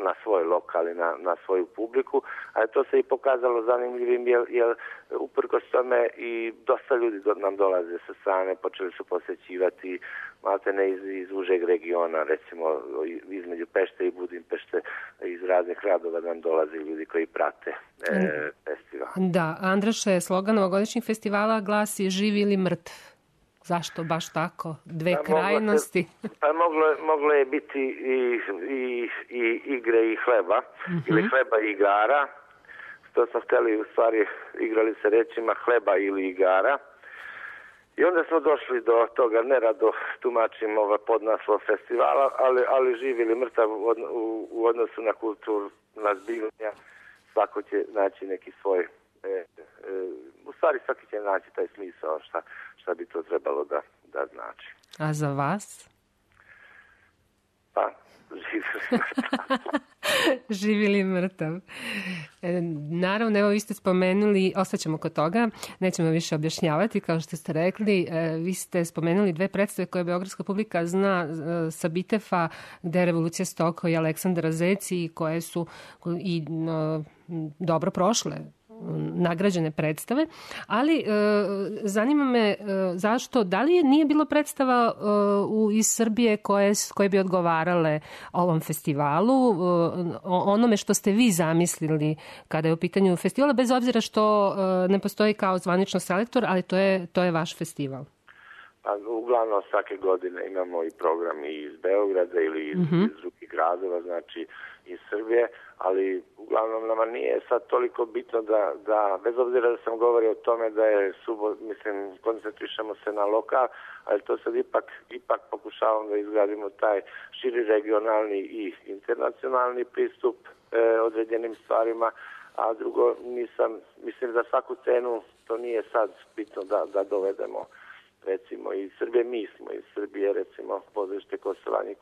na svoj lokal i na svoju publiku, ali to se i pokazalo zanimljivim jer uprkos tome i dosta ljudi nam dolaze sa strane, počeli su posjećivati maltene iz užeg regiona, recimo između Pešte i Budimpešte, iz raznih gradova nam dolaze ljudi koji prate festival. Da, Andraše, slogan ovogodišnjeg festivala glasi živ ili mrtv. Zašto baš tako? 2 krajnosti? Moglo je biti i igre i hleba, ili hleba i igara. To smo htjeli, u stvari igrali se rečima hleba ili igara. I onda smo došli do toga, nerado tumačim podnaslov festivala, ali živ ili mrtav u odnosu na kulturu, na zbivanja, svako će naći neki svoj... u stvari svaki će naći taj smisao šta bi to trebalo da znači. A za vas? Pa, živ ili mrtav. Naravno, evo vi ste spomenuli, ostaćemo kod toga, nećemo više objašnjavati, kao što ste rekli, vi ste spomenuli 2 predstave koje beogradska publika zna sa Bitefa, gde je Revolucija Stoko i Aleksandra Zec i koje su i dobro prošle, nagrađene predstave, ali zanima me zašto, da li nije bilo predstava iz Srbije koje bi odgovarale ovom festivalu, onome što ste vi zamislili kada je u pitanju festivala, bez obzira što ne postoji kao zvanično selektor, ali to je vaš festival. A uglavnom svake godine imamo i programi iz Beograda ili iz drugih gradova, znači iz Srbije, ali uglavnom nama nije sad toliko bitno da bez obzira da sam govorio o tome da je koncentrišemo se na lokal, ali to sad ipak pokušavam da izgradimo taj širi regionalni i internacionalni pristup određenim stvarima, a drugo mislim za svaku cenu to nije sad bitno da dovedemo recimo iz Srbije, mi smo iz Srbije recimo pozorište Kosolanji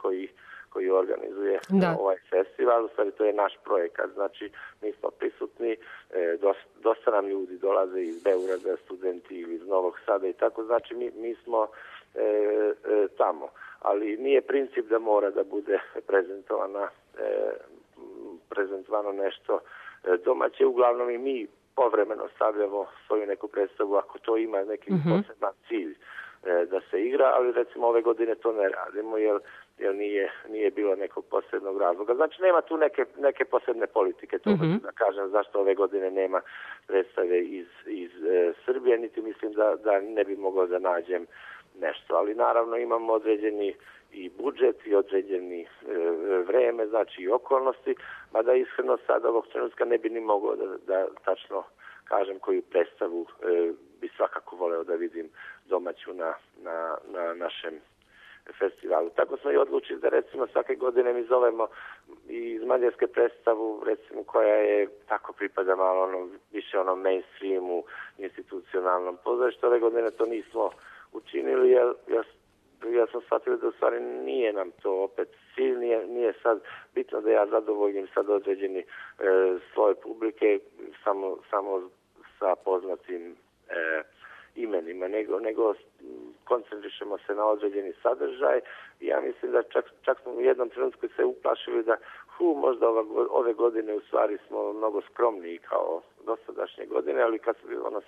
koji organizuje ovaj festival, u stvari to je naš projekat, znači mi smo prisutni, dosta nam ljudi dolaze iz Beograda, studenti ili iz Novog Sada i tako, znači mi smo tamo, ali nije princip da mora da bude prezentovano nešto domaće, uglavnom i mi povremeno stavljamo svoju neku predstavu ako to ima neki poseban cilj da se igra, ali recimo ove godine to ne radimo jer nije bilo nekog posebnog razloga. Znači nema tu neke posebne politike, to da kažem zašto ove godine nema predstave iz Srbije, niti mislim da ne bi mogao da nađem nešto, ali naravno imamo određeni i budžet i određeni vreme, znači i okolnosti, mada iskreno sad ovog trenutka ne bi ni mogao da tačno kažem koju predstavu bi svakako voleo da vidim domaću na našem festivalu. Tako smo i odlučili da recimo svake godine mi zovemo i iz Mađarske predstavu recimo koja je tako pripada malo više mainstreamu, institucionalnom pozorištu. Ove godine to nismo učinili jer ja sam shvatio da u stvari nije nam to opet cilj, nije sad bitno da ja zadovoljim sad određeni sloj publike samo sa poznatim imenima, nego koncentrišemo se na određeni sadržaj i ja mislim da čak smo u jednom trenutku se uplašili da možda ove godine u stvari smo mnogo skromniji kao dosadašnje godine, ali kad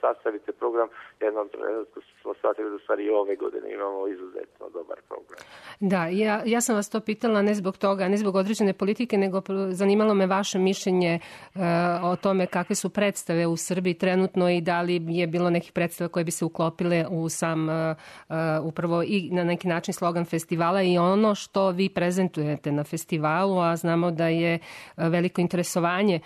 sastavite program, jednom trenutku smo shvatili da u stvari i ove godine imamo izuzetno dobar program. Da, ja sam vas to pitala ne zbog toga, ne zbog određene politike, nego zanimalo me vaše mišljenje o tome kakve su predstave u Srbiji trenutno i da li je bilo nekih predstava koje bi se uklopile u sam upravo i na neki način slogan festivala i ono što vi prezentujete na festivalu, a znamo da je veliko interesovanje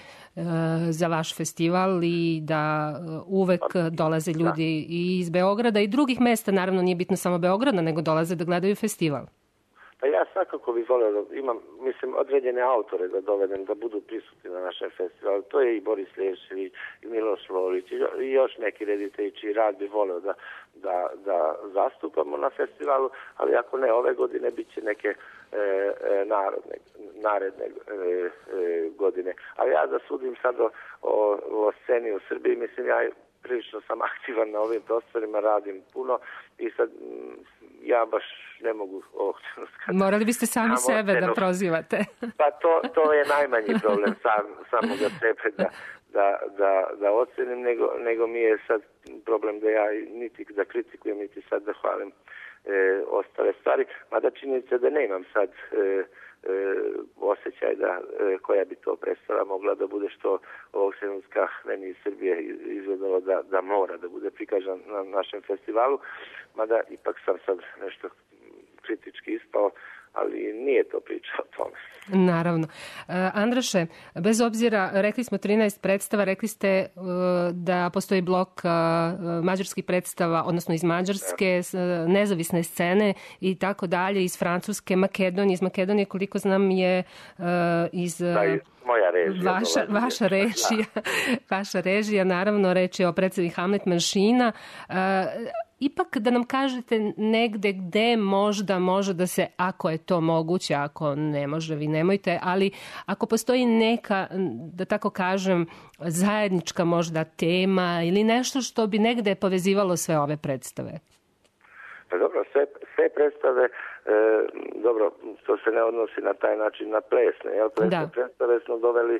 za vaš festival i da uvek dolaze ljudi i iz Beograda i drugih mesta, naravno nije bitno samo Beograda, nego dolaze da gledaju festival. Pa ja svakako bih volio da imam, određene autore da dovedem, da budu prisutni na našem festivalu. To je i Boris Lešević, i Miloš Lolić, i još neki reditelji čiji rad bi volio da zastupamo na festivalu, ali ako ne ove godine, bit će neke naredne godine. Ali ja da sudim sad o sceni u Srbiji, ja prilično sam aktivan na ovim prostorima, radim puno i sad ja baš ne mogu ovog trenutka. Morali biste sami sebe da prozivate. Pa to je najmanji problem samoga sebe da ocenim, nego mi je sad problem da ja niti da kritikujem, niti sad da hvalim ostale stvari, mada činjenica da nemam sad osjećaj koja bi to predstava mogla da bude što ovog trenutka meni iz Srbije izgledalo da mora da bude prikažan na našem festivalu, mada ipak sam sad nešto kritički ispao, ali nije to priča o tome. Naravno. Andraše, bez obzira, rekli smo 13 predstava, rekli ste da postoji blok mađarskih predstava, odnosno iz Mađarske, nezavisne scene i tako dalje, iz Francuske, Makedonije. Iz Makedonije, koliko znam, je iz... Moja režija. Vaša režija, naravno, reč je o predstavi Hamlet Manšina. Ipak da nam kažete negde gde možda može da se, ako je to moguće, ako ne može, vi nemojte, ali ako postoji neka, da tako kažem, zajednička možda tema ili nešto što bi negde povezivalo sve ove predstave. Pa dobro, sve predstave, dobro, to se ne odnosi na taj način na plesne, jel? Predstave smo doveli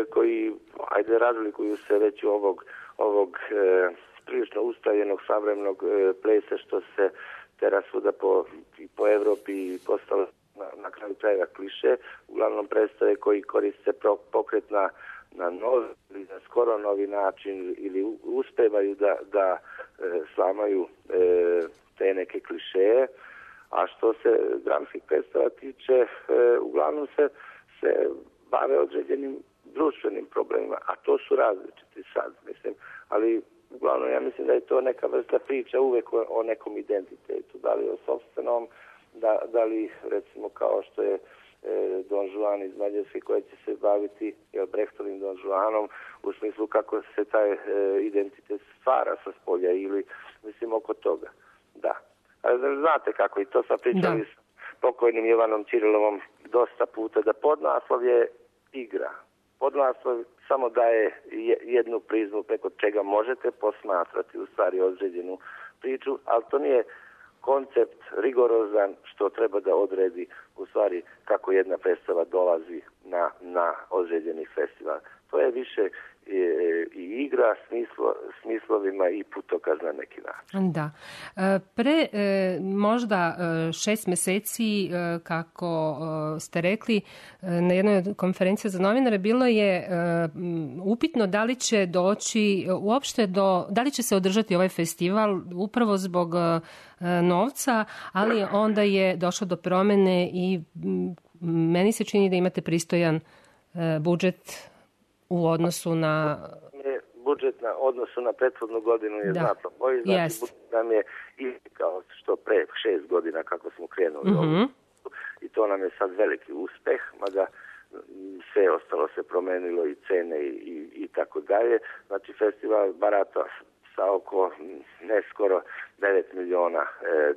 koji, razlikuju se već ovog prilično ustaljenog savremenog plesa što se teraz svuda po Evropi i postalo na kraju krajeva kliše, uglavnom predstave koji koriste pokret na novi ili na skoro novi način ili uspevaju da slamaju te neke klišeje, a što se dramskih predstava tiče, uglavnom se bave određenim društvenim problemima, a to su različiti sad, mislim, ali uglavnom ja mislim da je to neka vrsta priča uvek o nekom identitetu, da li o sopstvenom, da li recimo kao što je Don Juan iz Mađarske koji će se baviti Brechtovim Don Juanom u smislu kako se taj identitet stvara sa spolja ili mislim oko toga. Da. Ali znate kako i to sam pričali s pokojnim Jovanom Ćirilovom dosta puta da podnaslov je igra. Podnaslov samo daje jednu prizmu preko čega možete posmatrati u stvari određenu priču, ali to nije koncept rigorozan što treba da odredi u stvari kako jedna predstava dolazi na određeni festival. To je više i igra smislovima i putokaz na neki način. Da. Pre možda 6 meseci, kako ste rekli, na jednoj konferenciji za novinare bilo je upitno da li će doći uopšte da li će se održati ovaj festival upravo zbog novca, ali onda je došlo do promene i meni se čini da imate pristojan budžet u odnosu na... Budžet na odnosu na prethodnu godinu je znatno bolji. Znači, budžet nam je kao što pre 6 godina kako smo krenuli i to nam je sad veliki uspeh, mada sve ostalo se promenilo i cene i tako dalje. Znači, festival barata sa oko ne skoro 9 miliona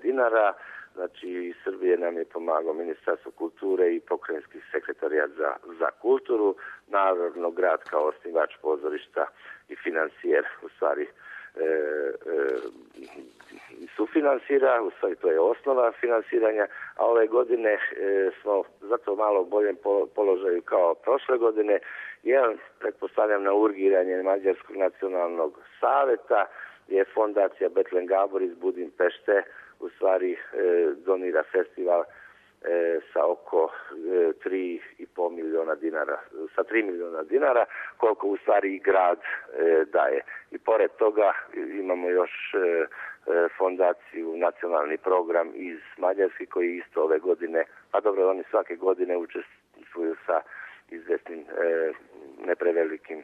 dinara. Znači, iz Srbije nam je pomagao Ministarstvo kulture i pokrajinski sekretarijat za kulturu, naravno grad kao osnivač pozorišta i financijer, u stvari sufinansira, u stvari to je osnova finansiranja, a ove godine smo zato malo u boljem položaju kao prošle godine, jer pretpostavljam na urgiranje Mađarskog nacionalnog saveta je fondacija Betlen Gabor iz Budimpešte u stvari donira festival sa oko 3,5 miliona dinara, sa 3 miliona dinara, koliko u stvari i grad daje. I pored toga imamo još fondaciju, nacionalni program iz Mađarske koji isto ove godine, a dobro, oni svake godine učestvuju sa izvesnim neprevelikim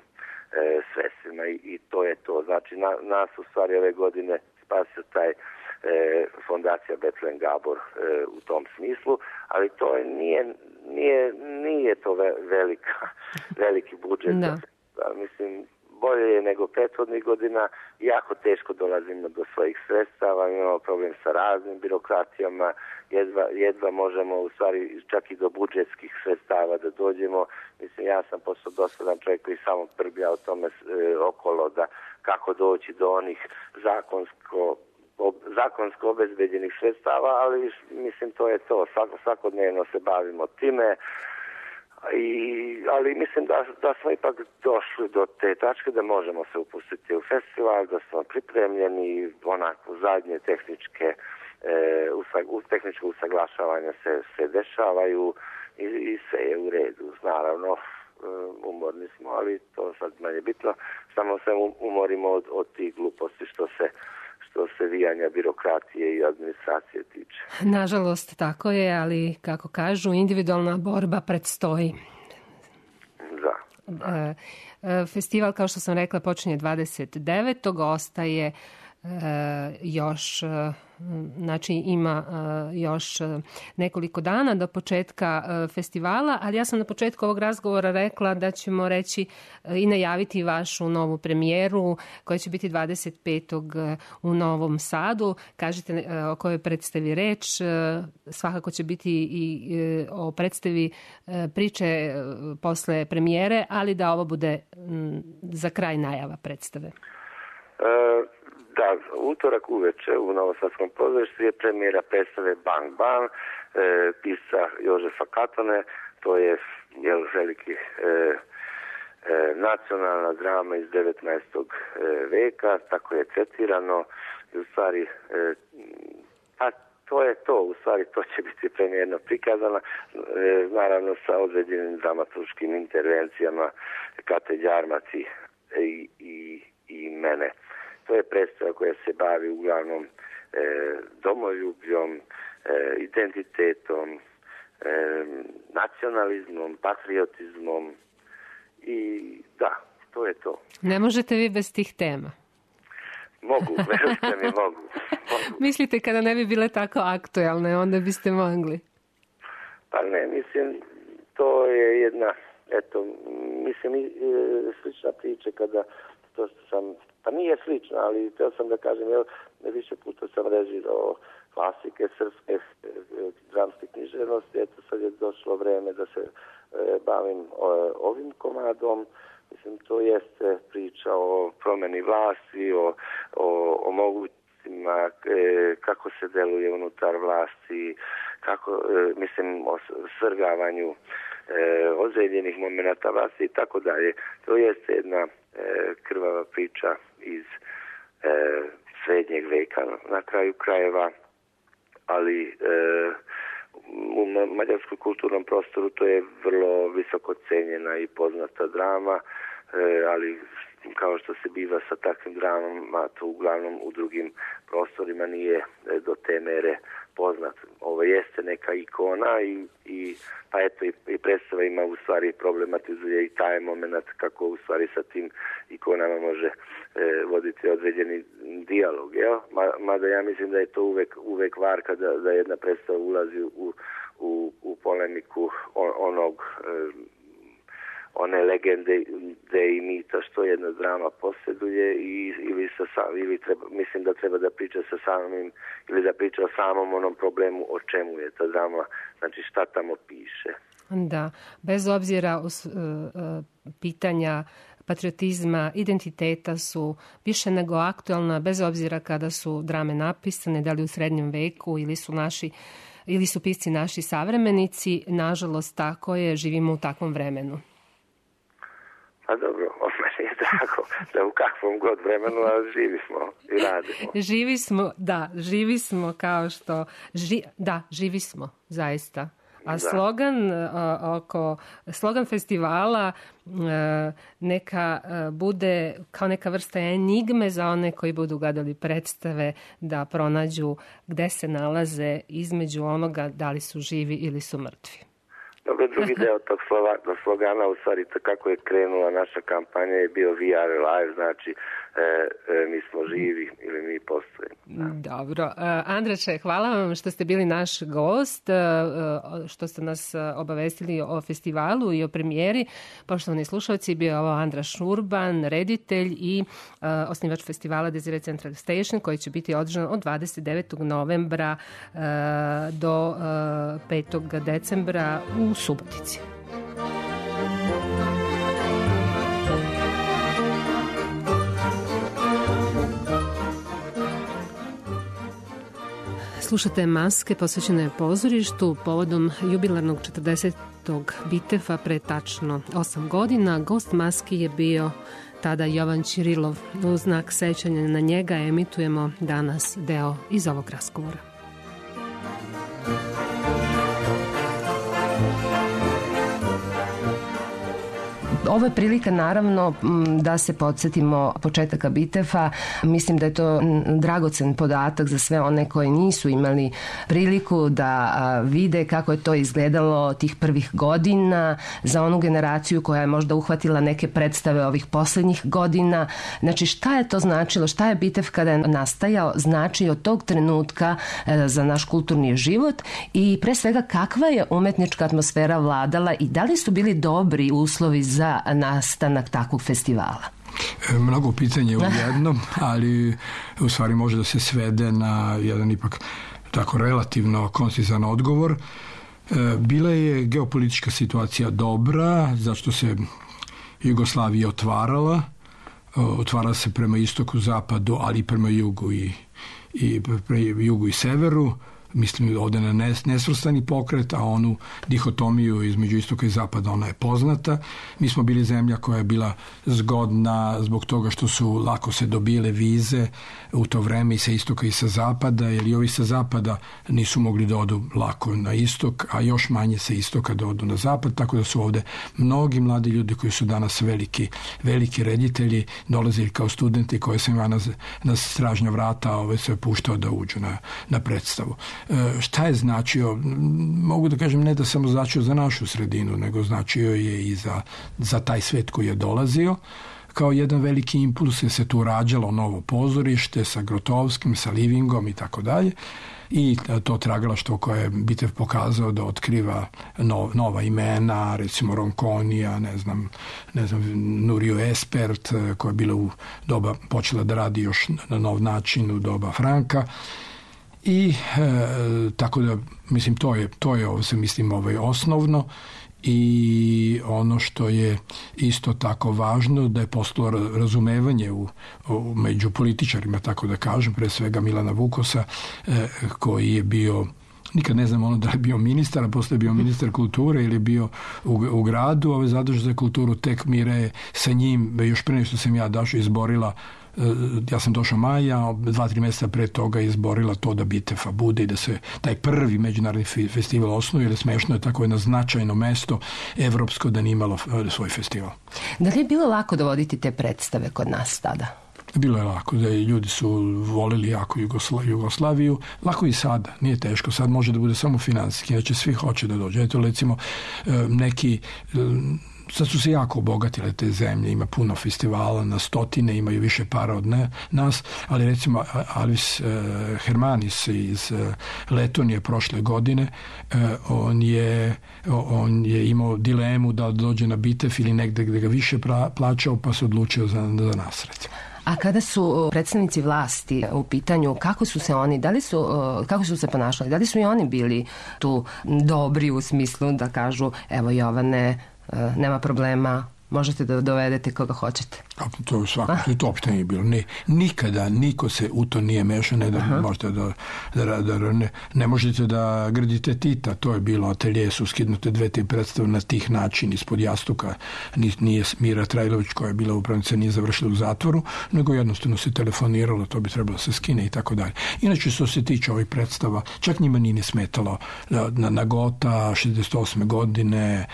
sredstvima i to je to. Znači nas u stvari ove godine spasio taj fondacija Betlen Gabor u tom smislu, ali to nije to veliki budžet. Mislim, bolje je nego prethodnih godina, jako teško dolazimo do svojih sredstava, imamo problem sa raznim birokratijama, jedva možemo u stvari čak i do budžetskih sredstava da dođemo. Mislim, ja sam postao dosadan čovjek koji samo prbija o tome okolo da kako doći do onih zakonsko obezbeđenih sredstava, ali mislim to je to. Svakodnevno se bavimo time, ali mislim da smo ipak došli do te tačke da možemo se upustiti u festival, da smo pripremljeni, onako zadnje tehničko usaglašavanje se dešavaju i sve je u redu. Naravno, umorni smo, ali to sad manje bitno. Samo se umorimo od tih gluposti što se vijanja birokratije i administracije tiče. Nažalost, tako je, ali kako kažu, individualna borba predstoji. Da. Festival, kao što sam rekla, počinje 29. Ostaje još, znači ima još nekoliko dana do početka festivala, ali ja sam na početku ovog razgovora rekla da ćemo reći i najaviti vašu novu premijeru koja će biti 25. u Novom Sadu. Kažite o kojoj predstavi reč, svakako će biti i o predstavi priče posle premijere, ali da ovo bude za kraj najava predstave. Da, utorak uveče u Novosadskom pozorištu je premijera predstave Bang Bang, pisca Jožefa Katone, to je veliki nacionalna drama iz 19. veka, tako je tretirano i u stvari to je to, u stvari to će biti premijerno prikazana, naravno sa određenim dramaturškim intervencijama Kate Đarmaci i mene. To je predstava koja se bavi uglavnom domoljubljom, identitetom, nacionalizmom, patriotizmom i da, to je to. Ne možete vi bez tih tema? Mogu, verujte mi, mogu. Mislite kada ne bi bile tako aktualne, onda biste mogli? Pa ne, mislim, to je jedna, eto, mislim, slična priča kada, to što sam, pa nije slična, ali teo sam da kažem, evo, više puta sam režirao klasike srpske dramske književnosti, eto sad je došlo vreme da se bavim ovim komadom. Mislim, to jeste priča o promeni vlasti, o mogućnostima, kako se deluje unutar vlasti, kako, mislim, o svrgavanju ozljeđenih momenata vlasti i tako dalje. To jeste jedna krvava priča iz srednjeg veka na kraju krajeva, ali u mađarskom kulturnom prostoru to je vrlo visoko cenjena i poznata drama, ali kao što se biva sa takvim dramama, to uglavnom u drugim prostorima nije do te mere poznat. Ovo jeste neka ikona i pa eto i predstava ima u stvari problematizuje i taj moment kako u stvari sa tim ikonama može voditi određeni dijalog, jel? Mada ja mislim da je to uvek varka da jedna predstava ulazi u polemiku one legende i mita što jedna drama posjeduje mislim da treba da priča sa samim ili da priča o samom onom problemu o čemu je ta drama, znači šta tamo piše. Da, bez obzira pitanja patriotizma, identiteta su više nego aktualna, bez obzira kada su drame napisane, da li u srednjem veku ili su pisci naši savremenici, nažalost tako je, živimo u takvom vremenu. Pa dobro, meni je drago da u kakvom god vremenu, ali živi smo i radimo. Živi smo kao što... živi smo, zaista. A slogan festivala neka bude kao neka vrsta enigme za one koji budu gledali predstave, da pronađu gde se nalaze između onoga da li su živi ili su mrtvi. Dobro, drugi deo tog slogana, u stvari kako je krenula naša kampanja, je bio We are alive, znači mi smo živi ili mi postojimo. Dobro. Andrače, hvala vam što ste bili naš gost, što ste nas obavestili o festivalu i o premijeri. Poštovani slušalci, bio je ovo Andraš Urban, reditelj i osnivač festivala Desire Central Station, koji će biti održan od 29. novembra do 5. decembra u Subotici. Slušate Maske posvećene pozorištu povodom jubilarnog 40. Bitefa pre tačno 8 godina. Gost Maski je bio tada Jovan Ćirilov. U znak sećanja na njega emitujemo danas deo iz ovog razgovora. Ovo je prilika naravno da se podsjetimo početaka Bitefa. Mislim da je to dragocen podatak za sve one koji nisu imali priliku da vide kako je to izgledalo tih prvih godina, za onu generaciju koja je možda uhvatila neke predstave ovih poslednjih godina. Znači šta je to značilo, šta je Bitef kada je nastajao znači od tog trenutka za naš kulturni život i pre svega kakva je umetnička atmosfera vladala i da li su bili dobri uslovi za nastanak takvog festivala? Mnogo pitanja u jednom, ali u stvari može da se svede na jedan ipak tako relativno koncizan odgovor. Bila je geopolitička situacija dobra, zašto se Jugoslavija otvarala se prema istoku, zapadu, ali i prema jugu i severu. mislim ovde na nesvrstani pokret, a onu dihotomiju između istoka i zapada, ona je poznata. Mi smo bili zemlja koja je bila zgodna zbog toga što su lako se dobile vize u to vreme i sa istoka i sa zapada, jer i ovi sa zapada nisu mogli da odu lako na istok, a još manje sa istoka da odu na zapad, tako da su ovde mnogi mladi ljudi koji su danas veliki reditelji dolazili kao studenti koje sam ja na stražnja vrata sve puštao da uđu na predstavu. Šta je značio? Mogu da kažem ne da samo značio za našu sredinu, nego značio je i za taj svet koji je dolazio. Kao jedan veliki impuls je se tu rađalo novo pozorište sa Grotovskim, sa Livingom i tako dalje. I to tragalaštvo koje je Bitev pokazao da otkriva nova imena, recimo Ronconija, ne znam, Nurio Espert, koja je bila u doba, počela da radi još na nov način u doba Franka. I tako da, mislim, to je ovo se mislim osnovno. I ono što je isto tako važno da je postalo razumevanje među političarima, tako da kažem, pre svega Milana Vukosa, koji je bio, nikad ne znam da je bio ministar, a posle je bio ministar kulture ili je bio u gradu, zadužen za kulturu, tek Mira je sa njim, još pre što sam ja došao, izborila, ja sam došao maja, 2-3 mjeseca pre toga izborila to da Bitefa bude i da se taj prvi međunarodni festival osnuje, jer smešno je tako jedno značajno mesto evropsko da nije imalo svoj festival. Da li je bilo lako dovoditi te predstave kod nas tada? Bilo je lako, da ljudi su volili jako Jugoslaviju, lako i sada, nije teško, sad može da bude samo finansijski, znači svi hoće da dođe. Eto, recimo, neki... Sad su se jako obogatile te zemlje, ima puno festivala, na stotine, imaju više para od nas, ali recimo Alvis Hermanis iz Letonije prošle godine, on je imao dilemu da dođe na Bitev ili negde gde ga više plaćao, pa se odlučio za nas, recimo. A kada su predstavnici vlasti u pitanju, kako su se oni, kako su se ponašali? Da li su i oni bili tu dobri u smislu da kažu, evo Jovane, nema problema, možete da dovedete koga hoćete? To svakako, to uopšte nije bilo. Nikada niko se u to nije mešao, ne da možete ne možete da gradite Tita, to je bilo, atelje su skidnute 2-3 predstave na tih način ispod jastuka, nije Mira Trajlović koja je bila upravnica, nije završila u zatvoru, nego jednostavno se telefoniralo, to bi trebalo se skine i tako dalje. Inače, što se tiče ovih predstava, čak njima nije smetalo na Gota 68. godine,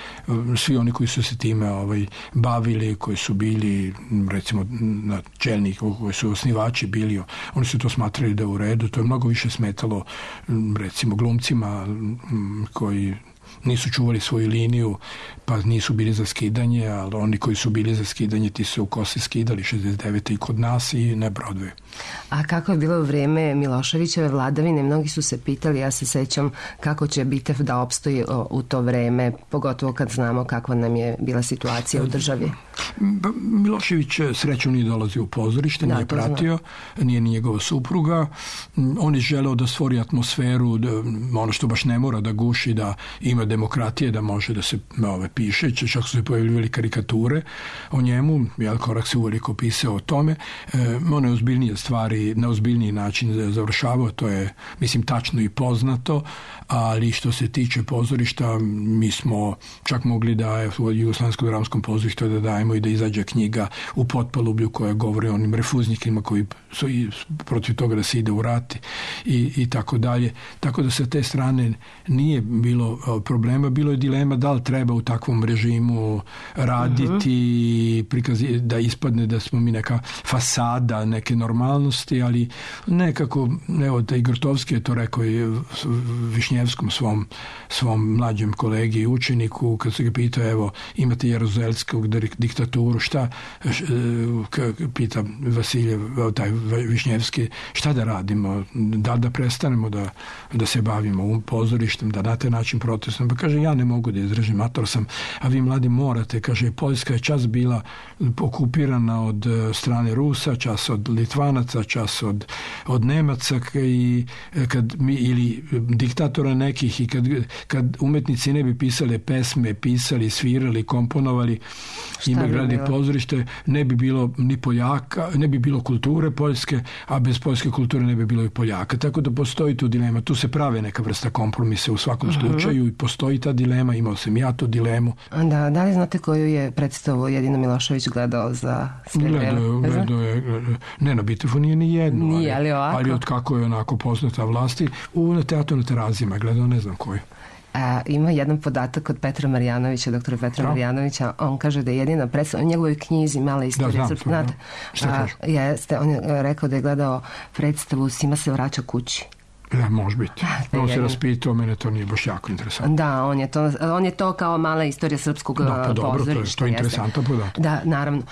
svi oni koji su se time bavili, koji su bili recimo na čelniku, koji su osnivači bili, oni su to smatrali da je u redu. To je mnogo više smetalo recimo glumcima koji nisu čuvali svoju liniju, pa nisu bili za skidanje, ali oni koji su bili za skidanje, ti su u kosi skidali 69. i kod nas i na Broadway. A kako je bilo u vreme Miloševićeve vladavine? Mnogi su se pitali, ja se sećam kako će Bitev da opstoji u to vreme, pogotovo kad znamo kakva nam je bila situacija u državi. Milošević srećom nije dolazio u pozorište, nije pratio, nije ni njegova supruga. On je želeo da stvori atmosferu, ono što baš ne mora da guši, da ima demokratije, da može da se piše, čak su se pojavljivali karikature o njemu, Korak se uveliko pisao o tome. One ozbiljnije stvari na ozbiljniji način završavao, to je, mislim, tačno i poznato, ali što se tiče pozorišta, mi smo čak mogli da u Jugoslavenskom dramskom pozorištu da dajemo i da izađe knjiga U potpalublju koja govori o onim refuznikima koji su protiv toga da se ide u rat i tako dalje. Tako da sa te strane nije bilo problema, bilo je dilema da li treba u takvom režimu raditi, da ispadne da smo mi neka fasada, neke normalnosti, ali nekako, evo, taj Grotovski je to rekao i Višnjevskom svom mlađem kolegi i učeniku, kad se ga pitao, evo, imate Jeruzalskog diktaturu, šta, pita Vasiljev, taj Višnjevski, šta da radimo, da prestanemo da se bavimo pozorištem, da na taj način protestom, pa kaže, ja ne mogu da izdržim, mator sam, a vi mladi morate, kaže, Poljska je čas bila okupirana od strane Rusa, čas od Litvanaca, čas od Nemaca i ili diktatora nekih, i kad umetnici ne bi pisali pesme, pisali, svirali, komponovali, ima gradi pozorište, ne bi bilo ni Poljaka, ne bi bilo kulture poljske, a bez poljske kulture ne bi bilo i Poljaka. Tako da postoji tu dilema. Tu se prave neka vrsta kompromisa u svakom slučaju i postoji ta dilema, imao sam ja tu dilemu. Da li znate koju je predstavu Jedina Milošević gledao za sve vreme? Gledao je, ne, na Bitefu nije ni jednu, nije, ali od kako je onako poznata vlasti, na teatru na Terazijama gledao, ne znam koju. Ima jedan podatak od Petra Marjanovića, doktora Petra Marjanovića, on kaže da je jedina predstava u njegovoj knjizi Mala istorija srpskog, znate, on je rekao da je gledao predstavu Sima se vraća kući. Može biti. On se raspitao, mene to nije baš jako interesantno. Da, on je to kao Mala istorija srpskog pozorišta. To je interesantan podatak. Da, naravno.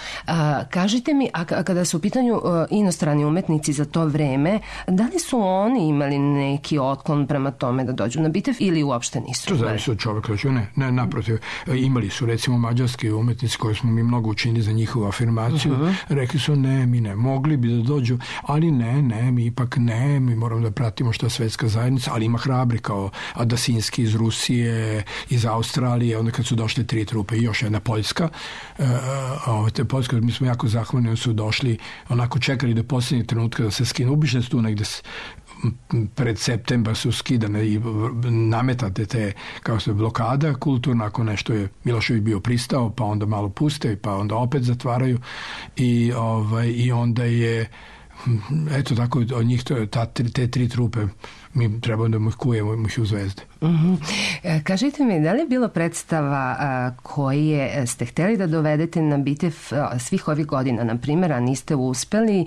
Kažite mi, a kada su u pitanju inostrani umetnici za to vreme, da li su oni imali neki otklon prema tome da dođu na Bitev ili uopšte nisu? To zavisi od čoveka. Ne, naprotiv. Imali su recimo mađarski umetnici koji smo mi mnogo učinili za njihovu afirmaciju. Rekli su ne, mi ne, mogli bi da dođu, ali ne, mi ipak ne, mi moramo da pratimo što svetska zajednica, ali ima hrabri kao Adasinski iz Rusije, iz Australije, onda kad su došle 3 trupe i još jedna Poljska. Te Poljska, mi smo jako zahvalni, oni su došli, onako čekali do posljednjeg trenutka da se skinu. Ubišne su tu negde pred septembar su skidane i nametate te, kao se blokada kulturna, ako nešto je Milošević bio pristao, pa onda malo puste, pa onda opet zatvaraju i onda je eto tako od njih te 3 trupe mi trebamo da ih kujemo ih u Zvezde. Kažite mi, da li je bilo predstava koje ste hteli da dovedete na Bitev svih ovih godina, na primjer, a niste uspeli,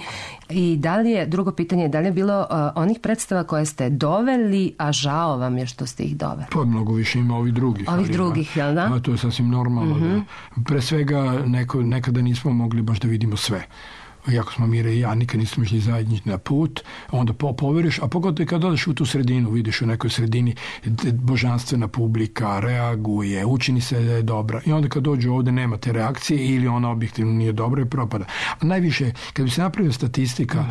i da li je, drugo pitanje, da li je bilo onih predstava koje ste doveli, a žao vam je što ste ih doveli? Pa mnogo više ima ovih drugih. Jel da? To je sasvim normalno. Pre svega nekada nismo mogli baš da vidimo sve. Iako smo Mira i ja nikad nismo išli zajednički na put, onda poveriš, a pogotovo kad odeš u tu sredinu, vidiš u nekoj sredini božanstvena publika reaguje, učini se da je dobra, i onda kad dođu ovde nema te reakcije ili ona objektivno nije dobra i propada. A najviše, kad bi se napravila statistika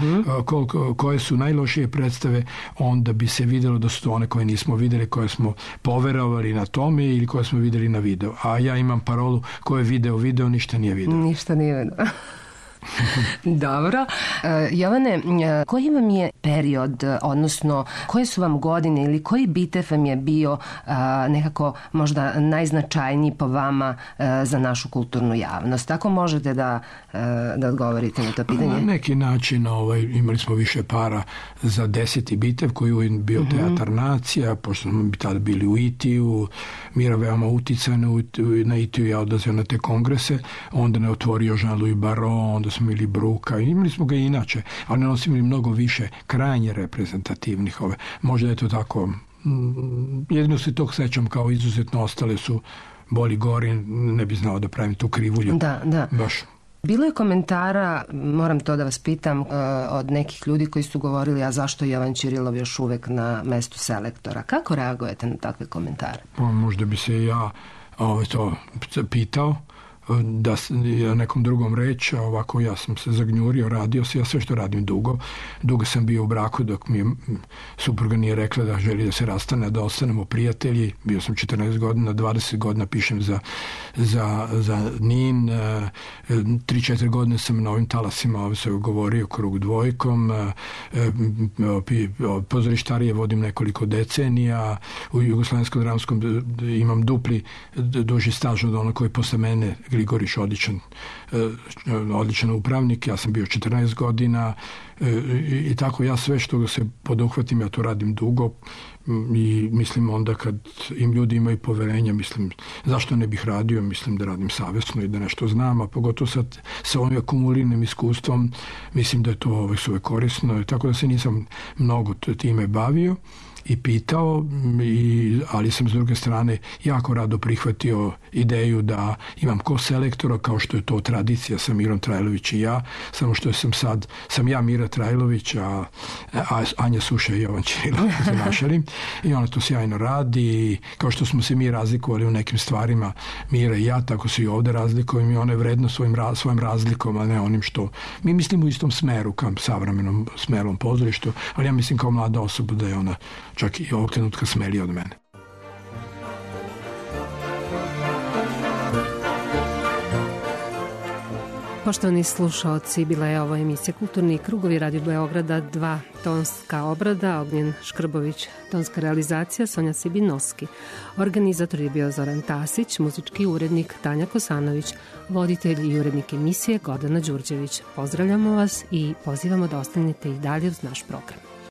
koje su najlošije predstave, onda bi se videlo da su to one koje nismo videli, koje smo poverovali na tome ili koje smo videli na video. A ja imam parolu, ko je video, ništa nije video. Ništa nije video. Dobro. Jovane, koji vam je period, odnosno koje su vam godine ili koji Bitev vam je bio nekako možda najznačajniji po vama za našu kulturnu javnost? Ako možete da odgovorite na to pitanje? Na neki način imali smo više para za 10. Bitev koji je bio Teatar nacija, pošto smo tada bili u Itiju, Mira veoma uticana na Itiju, ja odlazio na te kongrese, onda ne otvorio Jean-Louis Barrault, onda smo imali Bruka, imali smo ga i inače, ali oni su imali mnogo više krajnje reprezentativnih možda je to tako, jedino se tog sećam kao izuzetno, ostale su Boli gori, ne bi znao da pravim tu krivulju. Da. Baš. Bilo je komentara, moram to da vas pitam, od nekih ljudi koji su govorili, a zašto je Jovan Ćirilov još uvek na mestu selektora? Kako reagujete na takve komentare? Možda bi se ja to pitao, da nekom drugom reč, ovako ja sam se zagnjurio, radio se, ja sve što radim dugo sam bio u braku dok mi supruga nije rekla da želi da se rastane, da ostanemo prijatelji, bio sam 14 godina, 20 godina pišem za NIN, 3-4 godine sam na ovim talasima se govorio Krug dvojkom, pozorištarije vodim nekoliko decenija, u Jugoslavenskom dramskom imam duži staž od onog koji posle mene, Gligorić, odličan upravnik, ja sam bio 14 godina i tako ja sve što se poduhvatim, ja to radim dugo i mislim onda kad im ljudi imaju poverenja, mislim zašto ne bih radio, mislim da radim savjesno i da nešto znam, a pogotovo sad sa ovim akumuliranim iskustvom mislim da je to sve korisno, tako da se nisam mnogo time bavio. i pitao, ali sam s druge strane jako rado prihvatio ideju da imam ko-selektora, kao što je to tradicija sa Mirom Trajlović i ja, samo što sam ja Mira Trajlović, a Anja Suša i Jovan Ćirila za našari, i ona to sjajno radi, i kao što smo se mi razlikovali u nekim stvarima, Mira i ja, tako se i ovde razlikujemo, i ona je vredno svojim razlikom, a ne onim što mi mislimo u istom smeru, kao savremenom smerom pozorištu, ali ja mislim kao mlada osoba da je ona čak i ovog trenutka smelija od mene. Poštovani slušaoci, bila je ovo emisija Kulturni krugovi Radio Beograda 2, tonska obrada, Ognjen Škrbović, tonska realizacija, Sonja Sibinovski. Organizator je bio Zoran Tasić, muzički urednik Tanja Kosanović, voditelj i urednik emisije Gordana Đurđević. Pozdravljamo vas i pozivamo da ostanete i dalje uz naš program.